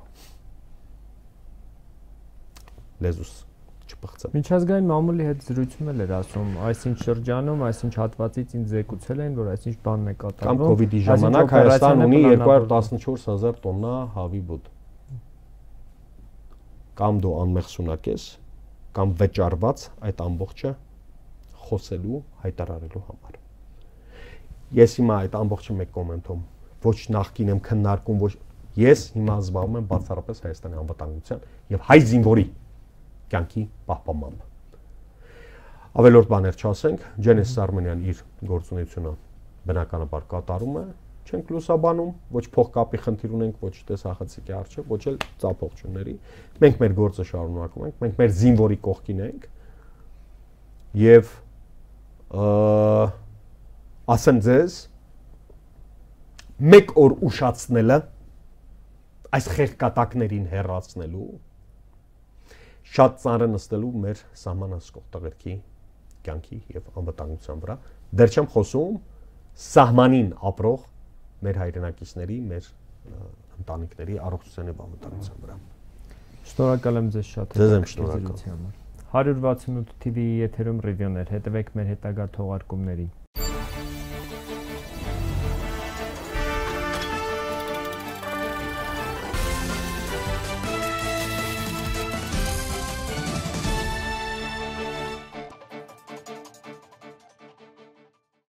լեզուս չփխցեմ Միջազգային մամուլի հետ զրույցում էլ էր ասում այսինչ շրջանում այսինչ հատվածից ինձ զեկուցել են որ այսինչ բանն է կատարվում կամ կոവിഡ്ի ժամանակ Հայաստան ունի երկու հարյուր տասնչորս հազար տոննա հավի բուդ կամ դու անմեղսունակ ես կամ վճարված այդ ամբողջը խոսելու, հայտարարելու համար։ Ես հիմա այդ ամբողջը մեկ կոմենտում ոչ նախկին եմ քննարկում, ոչ ես հիմա զբաղվում եմ բացառապես Հայաստանի անվտանգության եւ հայ զինվորի կյանքի պահպանմամբ։ Ավելորդ բաներ չասենք, Ջենես Արմենյան իր գործունեությունը բնականաբար կատարում է, չենք լուսաբանում, ոչ փողկապի խնդիր ունենք, ոչ տեսախցիկի արժեք, ոչ էլ ծափողջունների։ Մենք մեր գործը շարունակում ենք, մենք մեր զինվորի կողքին ենք եւ ասեմ ձեզ մեկ օր ուշացնելը այս խեղկատակներին հեռացնելու շատ ծանր նստելու մեր սահմանասկող տղերքի կյանքի եւ անվտանգության վրա դեռ չեմ խոսում սահմանին ապրող մեր հայրենակիցների, մեր ընտանիքների առողջության եւ անվտանգության վրա։ Շնորհակալ եմ ձեզ շատ։ Ձեզ եմ շնորհակալ։ հարյուր վաթսունութ թիվի եթերում ռիվյուներ, հետևեք մեր հետագա թողարկումներին։